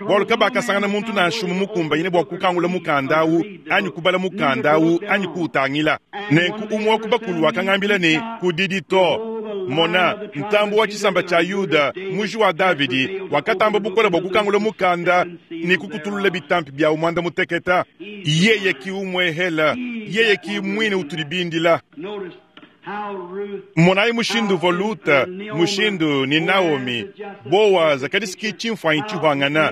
bualu kabakasangana muntu nansha umue mukumbanyine bua kukangula mukanda awu, anyi kubala mukanda awu, anyi kuutangila. Nenku umue wa ku bakulu wakangambila ne, kudidi to. Mona, ntambu wa tshisamba tshia Yuda, muji wa Davidi, wakatamba bukole bua kukangula mukanda ne kukutulula bitampi biawu muanda muteketa. Yeye ki umwehela, yeye ki mwine utudi bindila. Monayi mushindu uvua Luta, mushindu ni Naomi, Boaza kadisiki tshimfuanyi tshihwangana.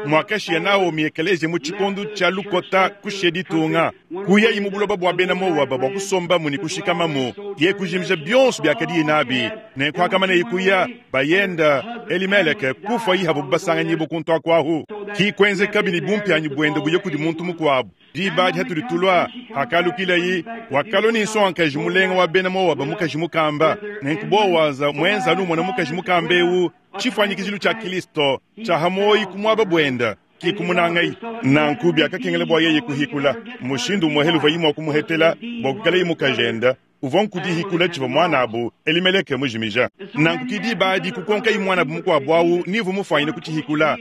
Mwakashiya Naomi ekelezia mu tshikondo tshia lukota kushiya ditunga. Kuyayi mu buloba bua bena Moaba bua kusombamu ne kushikamamu, ye kujimija bionso biakadiye nabi. Nenku akamana kuya, bayenda Elimeleke kufa yihabu basanganyibu kuntu akwahu. Ki kwenzeka bini bumpianyi buende buye kudi muntu mukuabu. Diba adi hatudi tulua, akalukilayi, wakalua ne nsongakaji mulenga wa bena Moaba mukaji mukamba. Nenku Boaza mwenza anu umona mukaji mukamba ewu, tshifuanyikijilu tshia Kristo, tshia hamoyi ku muaba buenda. Ki kumunangayi. Nanku biakakengela bua yeye kuhikula. Mushindu umue helu vayi mua kumuhetela, bua kukalayi mukajenda, uvua nkudihikula tshivua mwanabu Elimeleke mujimija. Nanku ki diba adi kukonkayi mwanabu mukuabu awu nivu mufuanyine kutshihikula.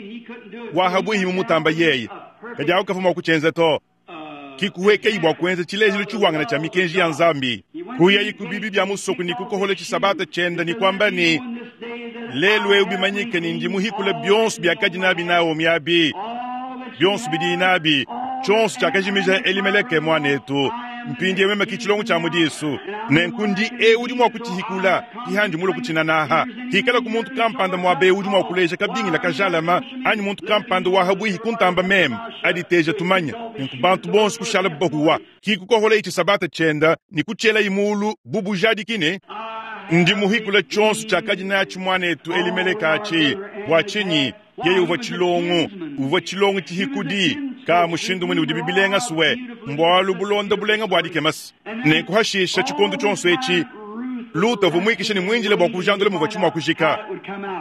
Wahabwihi mumutamba yeye. Kadi awu kavua mua kutshienza to. Ki kuwekeyi bua kuenza tshilejilu tshiwangana tshia mikenji ya Nzambi. Kuyayi ku bibi bia musoku ni kukohola tshisabata tshienda ni kwamba ni lelu eu bimanyike ni ndi muhikula bionso biakadi nabi Naomi abi. Bionso bidi nabi, tshionso tshiakajimija Elimeleke mwanetu. Mpindi meme ki tshilongo tshia mudisu. Nenku ndi eu udi mua kutshihikula, kihandi mulo kutshinanaha. Hikala ku muntu kampanda muabe udi mua kuleja kabingila kajalama, anyi muntu kampanda wa habwihi kuntamba meme, aditeja tumanya. Nenku bantu bonso kushala bahuwa. Ki kukohola ichi sabata tshienda, ni kutshiela imulu bubujadiki ndi muhikula tshionso tshiakadi natshi mwanetu Elimeleke atshi. Bua tshinyi? Yeye uvua tshilongo, uvua tshilongo tshihikudi, ka mushindu mune udi bibilenga suwe, mbwalu bulonda bulenga bua dikemasi. Nenku hashisha tshikondo tshionso etshi, Luta uvua muikisha ne muinjile bua kujandula muvua tshimua kujika.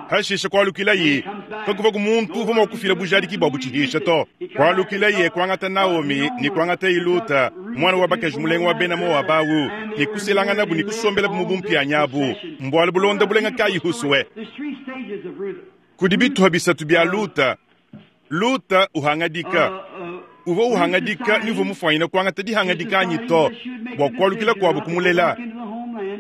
Hashisha kualukilaye, kakuva ku muntu uvua mua kufila bujadiki bua butshihisha to. Kualukilaye kuangata Naomi ne kuangata Luta, mwana wa bakaji mulenga wa bena Moaba awu, ne kuselanganabu ne kusombelabu mu bumpianyi abu, mbwalu bulonda bulenga kayi husuwe. Kudi bituha bisatu bia Luta. Luta uhangadika. Uvua uhangadika ni uvua mufuanyine kuangata dihangadika anyi to, bua kualukila kuabu kumulela.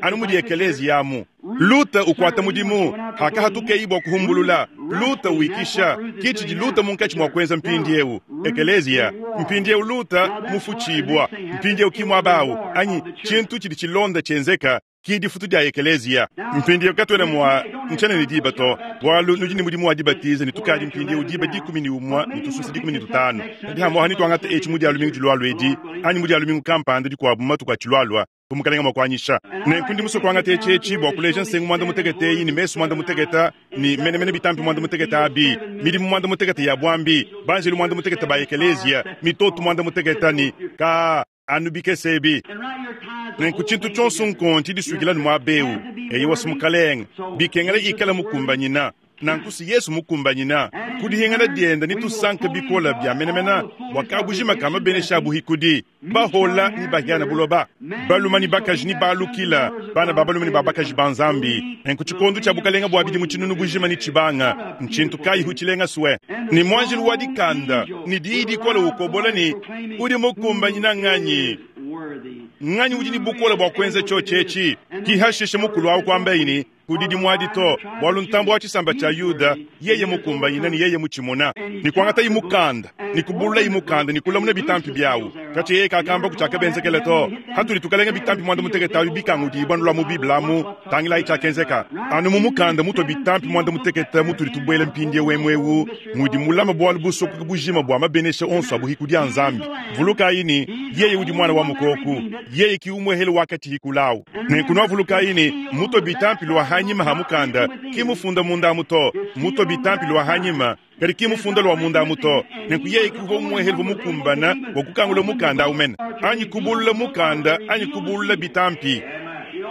Anu mudi ekelezi yamu. Luta ukuata mudimu, hakahatukeyi bua kuhumbulula. Luta uikisha, kitshidi Luta munkatshi mua kuenza mpindi eu. Ekelezia, mpindi eu Luta mufutshibua, mpindi eu kimwabawu, anyi tshintu tshidi tshilonda tshienzeka, ki difutu dia ekelezia. Mpindi eu katwena mua nchana ne diba to, bualu nudi ne mudimu wa dibatiza ne tukadi mpindi eu diba dikumi ne umua ne tususa dikumi ne tutanu. Kadi hamwaha nituangata etshi mudi alumingu dilualua edi, anyi mudi alumingu kampanda dikuabu mu matuku atshilualua, bumukalenga mua kuanyisha. Nenku ndi musue kuangata etshi etshi bua kuleja nsengu muanda mutekete eyi ne mesu muanda mutekete ne menemene bitampi muanda mutekete abi, midimu muanda mutekete ya bwambi, banjelu muanda mutekete ba ekelezia, mitoto muanda mutekete ni ka anu bikese ebi. Nenku tshintu tshionso nkonti disukila ne muaba eu, eyi wasi mukalenga, bikengela ikala mukumbanyina. Nanku si Yesu mukumbanyina, kudihingana dienda ni tusanka bikola bia menemena, bua kabujima kama benesha buhikudi, bahola ni bahiana buloba, baluma ni bakaji ni balukila, bana ba baluma ni babakaji ba Nzambi. Nenku tshikondo tshia bukalenga bua bidi mu tshinunu bujima ni tshibanga, ntshintu kayi hutshilenga swe. Ni mwanjilu wa dikanda, ni diyi dikola ukobola ni udi mukumbanyina nganyi. Nganyi udi ni bukola bua kuenza tshotshetshi. Kihashishe mukulu awu kwamba ini, kudidi mwadi to, bualu ntambo wa tshisamba tshia Yuda, yeye mukumbanyina ni yeye mutshimuna. Ni kuangata imukanda, ni kubulula imukanda, ni kulamuna bitampi biawu. Katshi yeye kakamba kutshiakabenzekele to. Hatuli tukalenga bitampi mwanda mutekete awu bikangudi ibwanulwa mu Biblia amu, tangilayi tshiakenzeka. Anu mu mukanda mutwa bitampi mwanda mutekete mutuli tubwele mpindie wemwewu, mudi mulama bualu busokoka bujima bua mabenesha onso abuhikudi a Nzambi. Vulukayi ni, yeye udi mwana wa mukoku, yeye ki umwehele wakati hikulawu. Nenku nwavulukayi ni, mutwa bitampi lwa hanyima ha mukanda, ki mufunda munda muto, mutwa bitampi lwa hanyima, kadi ki mufunda lwa munda muto. Nenku yeye ki uvua umwehele mukumbana wa kukangula mukanda awu mene. Anyi kubulula mukanda, anyi kubulula bitampi.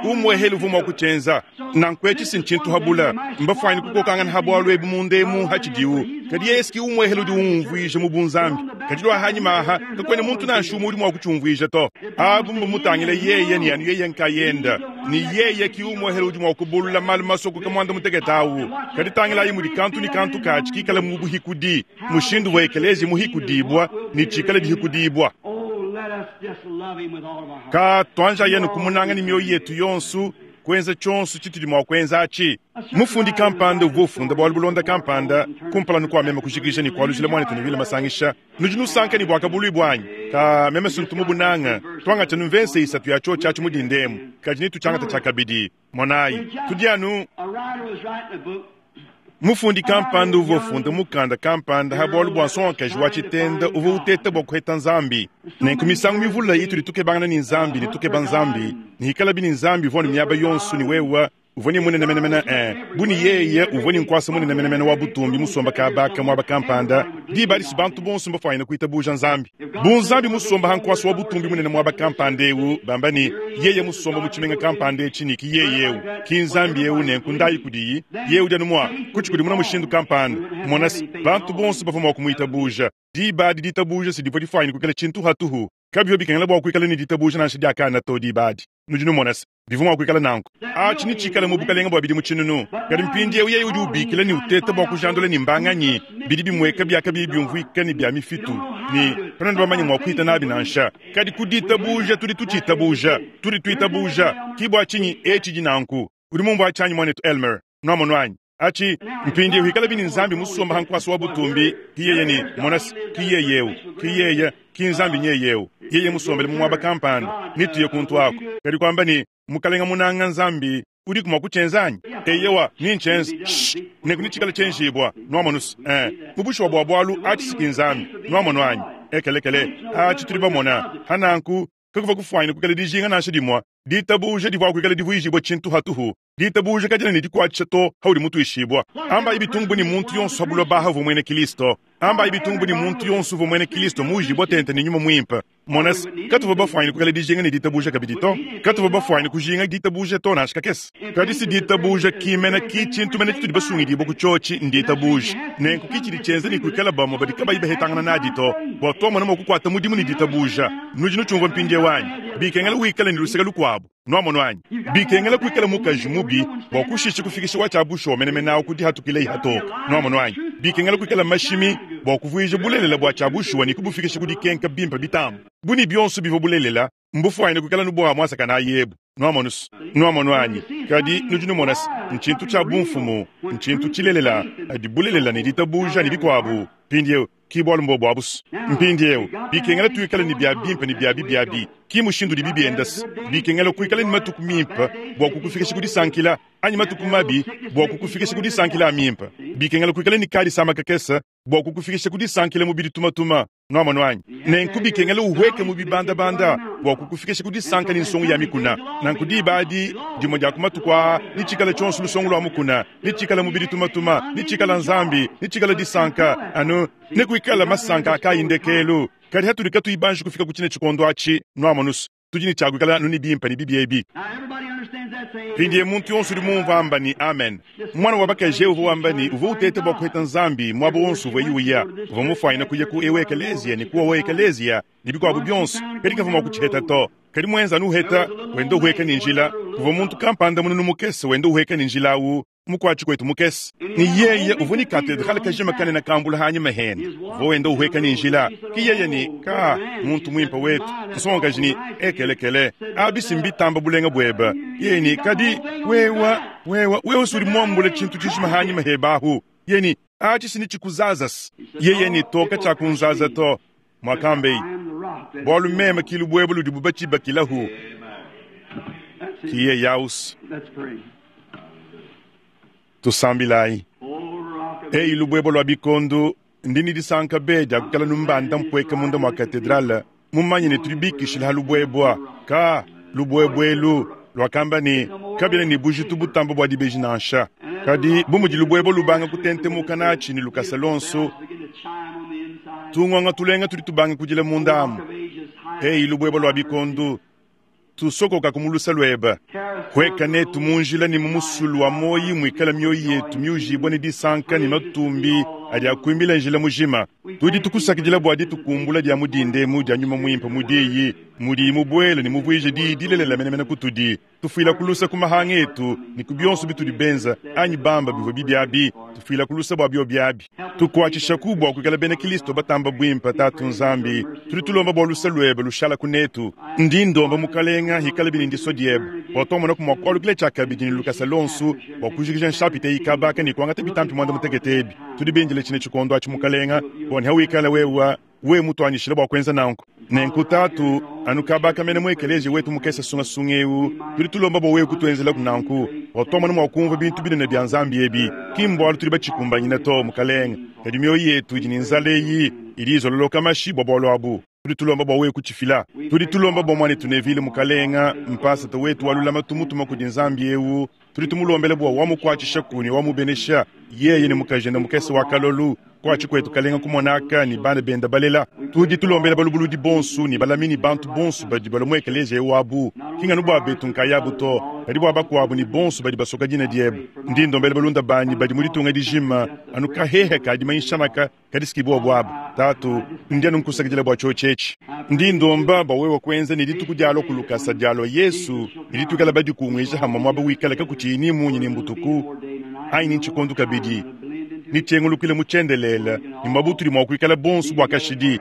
Umwehele uvua mua kutshienza. Nanku etshi si ntshintu habula. Mbafwanyine kukokangana ha bwalu ebu munda emu hatshidiwu. Kadi yeye ki umwehele udi umumvuija mu bunzambi. Kadi lwa hanyima aha, kakwena muntu nansha umwe udi mua kutshiumvuija to. Abu mbamutangile yeye ni anu yeye nkayenda. Ni yeye ki umwehele udi mua kubulula malu masokoka muanda mutekete awu. Kadi tangilayi mudi kantu ni kantu katshi kikala mu buhikudi. Mushindu wa ekelezi muhikudibwa ni tshikala dihikudibwa. Oh, let us just love him with all of our heart. Ka twanja yenu kumunanga ni mioyo yetu yonsu kwenza tshonso tshitudi mua kuenza atshi. Mufundi kampanda uvua ufunda bwalu bulonda kampanda kumpala nuku amema kujikija ni kualujila mwana tunivile masangisha. Nudi nusanka ni bwaka bulwi bwanyi. Ka meme suntu mubunanga twanga numvense isatu ya cho chachi mudindemu. Kadi ni tuchangata chakabidi. Monayi tudi anu A writer was writing a book. Mufundi kampanda uvua ufunda mukanda kampanda ha bwalu bwa nsongakaji wa tshitenda uvua uteta bwa kuheta nzambi. Nenku misangu mivula itudi tukebangana ni nzambi ni tukeba nzambi. Ni hikala bini nzambi uvua ni miaba yonsu ni wewa uvua ni munene menemene eh. Buni yeye uvua ni nkwasa munene menemene wa butumbi musomba kabaka mwaba kampanda. Diba disi bantu bonso mbafwanyine kuitabuja nzambi. Bu nzambi musomba ha nkwasa wa butumbi munene mwaba kampanda ewu, bamba ni yeye musomba mu tshimenga kampanda etshi ni ki yeye ewu. Ki nzambi ewu nenku ndayi kudiyi, yeye udi anu mwa kutshi kudi muna mushindu kampanda. Mona se, bantu bonso bavua mua kumuitabuja. Diba adi ditabuja si divua difwanyine kuikala tshintu hatuhu. Kabivua bikengela bua kuikala ni ditabuja nansha diakana to diba adi. Nudi numona se, bivua mua kuikala nanku. Atshi ni tshikala mu bukalenga bua bidi mu tshinunu. Kadi mpindiewu yeye udi ubikila ni uteta bua kujandula ni mbanganyi. Bidi bimweka biakabi biumvuika ni bya mifitu. Ni katuena bamanye mua kuita nabi nansha. Kadi ku ditabuja tudi tutshitabuja. Tudi tuitabuja. Ki bua tshinyi etshi di nanku. Udi mumvua tshanyi mwanetu Elmer. Nwamonu anyi? Achi mpindiewu hikala bini nzambi musomba ha nkwasa wa butumbi. Ki yeye ni mona se, ki yeye ewu. Ki yeye, ki nzambi nyeye ewu. Yeye musombele mu mwaba kampanda. Nituye kuntu ako. Kadi kwamba ni mukalenga munanga nzambi udi kumwa kutshenza anyi? Eyewa, ni nchenza. Shh, nenku ni tshikala tshenjibwa. Nwamonu se, eh, mubushuwa bwa bwalu atshi siki nzambi. Nwamonu anyi? Ekelekele, atshi tudi bamona. Hananku, kakuva kufwanyina kukala dijinga nansha dimwa. Ditabuja divua kuikala divuijibwa tshintu hatuhu. Ditabuja kadina ni dikuatshisha to haudi mutuishibwa. Amba ibitumbu ni muntu yonso habulwa baha uvua mwene Kristo. Amba ibitumbu ni muntu yonso uvua mwene Kristo muujibwa tente ni nyuma mwimpe. Mona se, katuvua bafwanyine kukala dijinga ni ditabuja kabidi to. Katuvua bafwanyine kujinga ditabuja to nansha kakese. Kadi si ditabuja kimena ki tshintu mene tshitudi basungidibwa ku tshotshi nditabuja. Nenku ki tshidi tshienza ni kuikala bamwe badi kabayi bahetangana nadi to. Bua twamona mua kukuata mudimu ni ditabuja. Nudi nutshiumvua mpindiewu anyi? Bikengela wikale ni luseke lukuabu. Nwamonu anyi? Bikengela kuikala mukaji mubi bua kushisha kufikisha wa tshia bushuwa menemene awu kudi hatukile ihatoka. Nwamonu anyi? Bikengela kuikala mashimi bua kuvuija bulelela bua tshia bushuwa ni kubufikisha kudi kenka bimpe bitamba. Buni bionso bivua bulelela, mbufwanyine kuikala nubwa mwasaka na yebu. Nwamonu se, nwamonu anyi? Kadi nudi numona se, ntshintu tshia bumfumu, ntshintu tshilelela, adi bulelela ni ditabuja ni bikuabu. Mpindiewu, ki bwalu mbo bwa busu. Mpindiewu, bikengela tuikale ni bya bimpe ni bya bibi. Ki mushindu di bibi endasi. Bikengela kuikala ni matuku mimpe bua kukufikisha kudisankila, anyi matuku mabi bua kukufikisha kudisankila mimpe. Bikengela kuikala ni kadi sama kakesa bua kukufikisha kudisankila mubidi tumatuma. Nwamonu anyi? Nenku bikengela uhweke mu bibandabanda bua kukufikisha kudisanka ni nsongo ya mikuna. Nanku diba adi, dimue dia ku matuku aa, ni tshikala tshionso lusongo lua mukuna, ni tshikala mubidi tumatuma, ni tshikala nzambi, ni tshikala disanka, anu ne kuikala masanka akayi ndekelu. Kadi hatudi katuyi banji kufika ku tshine tshikondo atshi, nwamonu se, tudi ni tshia kuikala anu ni bimpe ni bibi ebi. Now everybody understands that, say amen. Mpindiewu muntu yonso udi mumvua amba ni amen. Mwana wa bakaji uvua wamba ni uvua uteta bua kuheta nzambi mwaba wonso uvua iuya. Uvua mufwanyine kuya ku ewe ekelezia ni kuwa wa ekelezia ni bikuabu bionso. Kadi kavua mua kutshiheta to. Kadi mwenza anu uheta, wenda uheka ni njila. Kuvua muntu kampanda mununu mukese wenda uheka ni njila awu, mukuatshi kwetu mukese. Ni yeye uvua ni katedrale kajima kanene kambula hanyima hene. Uvua wenda uheka ni njila. Ki yeye ni ka muntu mwimpe wetu. Nsongakaji ni ekelekele. Abisi mbitamba bulenga bweba. Yeye ni kadi wewa, wewa, wewe suri mwambule tshintu tshishima hanyima hebahu. Yeye ni atshi sini tshikuzazas. Yeye ni toka tshia kunzaza to. Mwakambei. I am the rock that Bwalu meme kilu bwebe ludi bubatshibakilahu. That's it. Ki yeye yaus. Let's pray. Tusambilayi. Oh, rock of Eyi lubwebo lwa bikondo ndini disanka be dia kukala numbanda mpweka munda mwa katedrale mumanye ne tudi bikishila ha lubwebwa ka lubwebwelu lwakamba ni kabila ni bujitu butamba bwa dibeji nansha. Kadi bumudi lubwebo lubanga kutentemuka natshi ni lukasa lonso, begin to chime on the inside. tungonga tulenga tudi tubanga kudila mundamu. Rock of ages, high Eyi lubwebo lwa bikondo tusokoka kumulusa lweba. Hueka netu mu njila ne mu musulu wa muoyi muikala mioyo yetu miujibue ne disanka ne matumbi adi akuimbila njila mujima. Tudi tukusakidila bua ditukumbula dia mudindemu dia nyuma muimpe mu diyi, mudiyi mubuele ne muvuije diyi dilelela menemene kutudi. Tufuila kulusa ku mahanga etu ne ku bionso bitudi benza anyi bamba bivua bibi abi, tufuila kulusa bua bio biabi. Tukuatshishaku bua kuikala bena Kristo batamba buimpe Tatu Nzambi. Tudi tulomba bua lusa luebe lushala kunetu. Ndi ndomba mukalenga hikala bini ndiso diebe bua tuamonaku mua kualukila tshiakabidi ne lukasa lonsu bua kujikija nshapita ikabaka ne kuangata bitampi muanda mutekete ebi. Tudi bindile tshine tshikondo atshi mukalenga bua ne hawikala wewa we mutuanyishile bua kuenza nanku. Nenku Tatu anu kabaka mene mu ekeleziya wetu mukese sungasunga eu, tudi tulomba bua wewe kutuenzelaku nanku bua tuamona mua kumvua bintu binene bia Nzambi ebi. Ki mbualu tudi batshikumbanyina to mukalenga, kadi mioyo yetu idi ne nzala eyi idi izololoka mashi bua bualu abu. Tudi tulomba bua wewe kutshifila. Tudi tulomba bua muanetu Neville mukalenga, mpasata wetu wa lulamatu mutuma kudi Nzambi eu. Tudi tumulombela bua wamukuatshishaku ne wamubenesha yeye ne mukajende mukese wa kalolu kuatshi kwetu kalenga kumonaka ne bana benda balela. Tudi tulombela balubuludi bonsu ne balami ne bantu bonsu badi balua mu ekeleziya wabu, ki nganu bua betu nkayabu to, kadi bua bakuabu ne bonsu badi basoka dina diebe. Ndi ndombela balunda banyi badi mu ditunga dijima anu kahehe kadi manyishanaka kadi sikibua buabu. Tatu, ndi anu nkusakidila bua tshiotshi etshi. Ndi ndomba bua wewe kuenza ne dituku dialua ku lukasa dialua Yesu ne dituikala badikunguija hamwe muaba wikala kakutshiyi ni munyi ni mbutuku anyi ni ntshikondu kabidi ni tshiengulukile mu tshiendelele ni muaba utudi mua kuikala bonsu bua kashidi.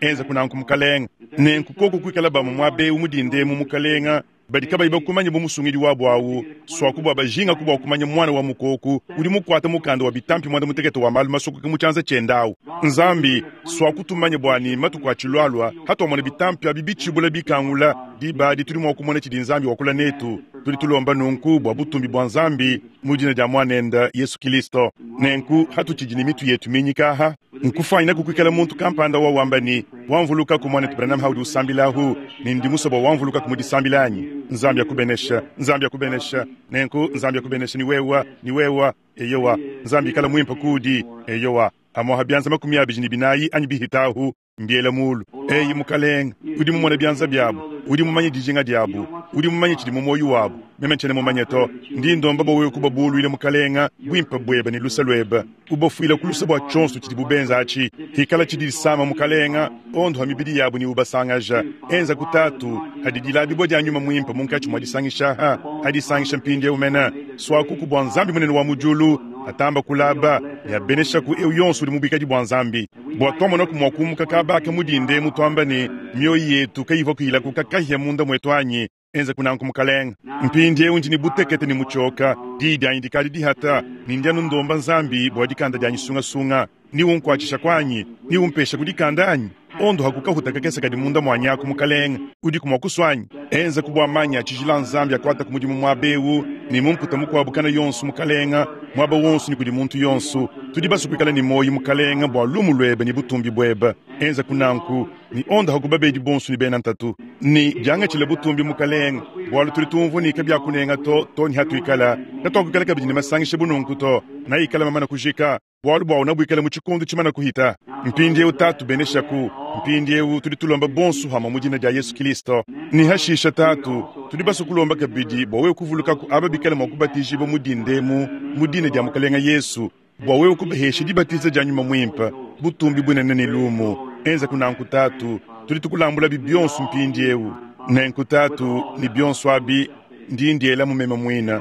Enza kunanku mukalenga. Nenku koko kuikala bamwe muaba eu mudindemu mukalenga badi kabayi bakumanya bu musungidi wabu awu, swaku bua bajingaku bua kumanya mwana wa mukoku udi mukuata mukanda wa bitampi muanda mutekete wa malu masokoke mu tshianza tshiende awu. Nzambi swaku tumanye bua ni matuku atshilualua hatuamona bitampi abi bitshibula bikangula diba adi tudi mua kumona tshidi Nzambi wakula netu. Tudi tulomba nunku bua butumbi bua Nzambi mu dina dia muanende Yesu Kristo. Nenku hatutshidi ne mitu yetu minyika aha nkufanyina kukuikala muntu kampanda wa wamba ni wamvuluka ku mwanetu Branham haudi usambilahu ni ndi musua bua wamvuluka ku mudisambila anyi. Nzambi akubenesha, Nzambi akubenesha. Nenku Nzambi akubenesha ni wewa, ni wewa, eyowa. Nzambi ikala muimpe kudi, eyowa. Amoha bianza makumi abidi ne binayi anyi bihitahu mbiela mulu. Eyi mukalenga, udi mumone bianza biabu, udi mumanye dijinga diabu, udi mumanye tshidi mu muoyo wabu. Meme ntshiena mumanye to. Ndi ndomba bua wewe kubabuluila mukalenga buimpe buebe ne lusa luebe, ubafuila ku lusa bua tshionso tshidi bubenza atshi. Hikala tshidi disama mukalenga, ondoha mibidi yabu ne ubasangaja. Enza kutatu hadi dilabibua dia nyuma muimpe munkatshi mua disangisha ha hadisangisha mpindieu mene. Swakuku bua Nzambi munene wa mu diulu atamba kulaba ne abeneshaku eu yonso udi mubikadi bua Nzambi. Bua tuamonaku mua kumuka kabaka mudinde mutuamba ne mioyo yetu kayivua kuyilaku kakahia munda mwetu anyi. Enza kunanku mukalenga. Mpindieu ndi ne butekete ne mutshioka, diyi dianyi dikadi dihata, ne ndi anu ndomba Nzambi bua dikanda dianyi sungasunga. Ni unkuatshisha kuanyi, ni umpesha ku dikanda anyi. Ondo hakukahuta kakese kadi munda muanyi aku mukalenga, udiku mua kusua anyi. Enza ku bua manya tshijila Nzambi akuata ku mudimu muaba eu, ne mumputa mukuabu kana yonso mukalenga, muaba wonso ne kudi muntu yonso. Tudi basue kuikala ne muoyo mukalenga bua lumu luebe ne butumbi buebe. Enza kunanku ni ondo hakubabedi bonso ne bena ntatu ni diangatshile butumbi mukalenga, bualu tudi tumvua ne kabiakunenga to to ni hatuikala katuakukala kabidi ne masangisha bununku to na ikala mamana kujika bualu bua unabuikala mu tshikondo tshimana kuhita. Mpindieu Tatu beneshaku, mpindieu tudi tulomba bonso hamwe mu dina dia Yesu Kristo. Ni hashisha Tatu tudi basue kulomba kabidi bua wewe kuvulukaku aba bikale mua kubatijibua mu dindemu mu dina dia mukalenga Yesu, bua wewe kubahesha dibatiza dia nyuma muimpe butumbi bunene ne lumu. Enza kunanku Tatu, tudi tukulambula bionso mpindieu. Nenku Tatu ni bionso abi ndi ndiela mu meme muina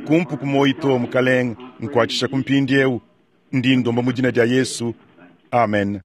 kumpu ku muoyo to mukalenga nkuatshisha ku mpindieu. Ndi ndomba mu dina dia Yesu. Amen.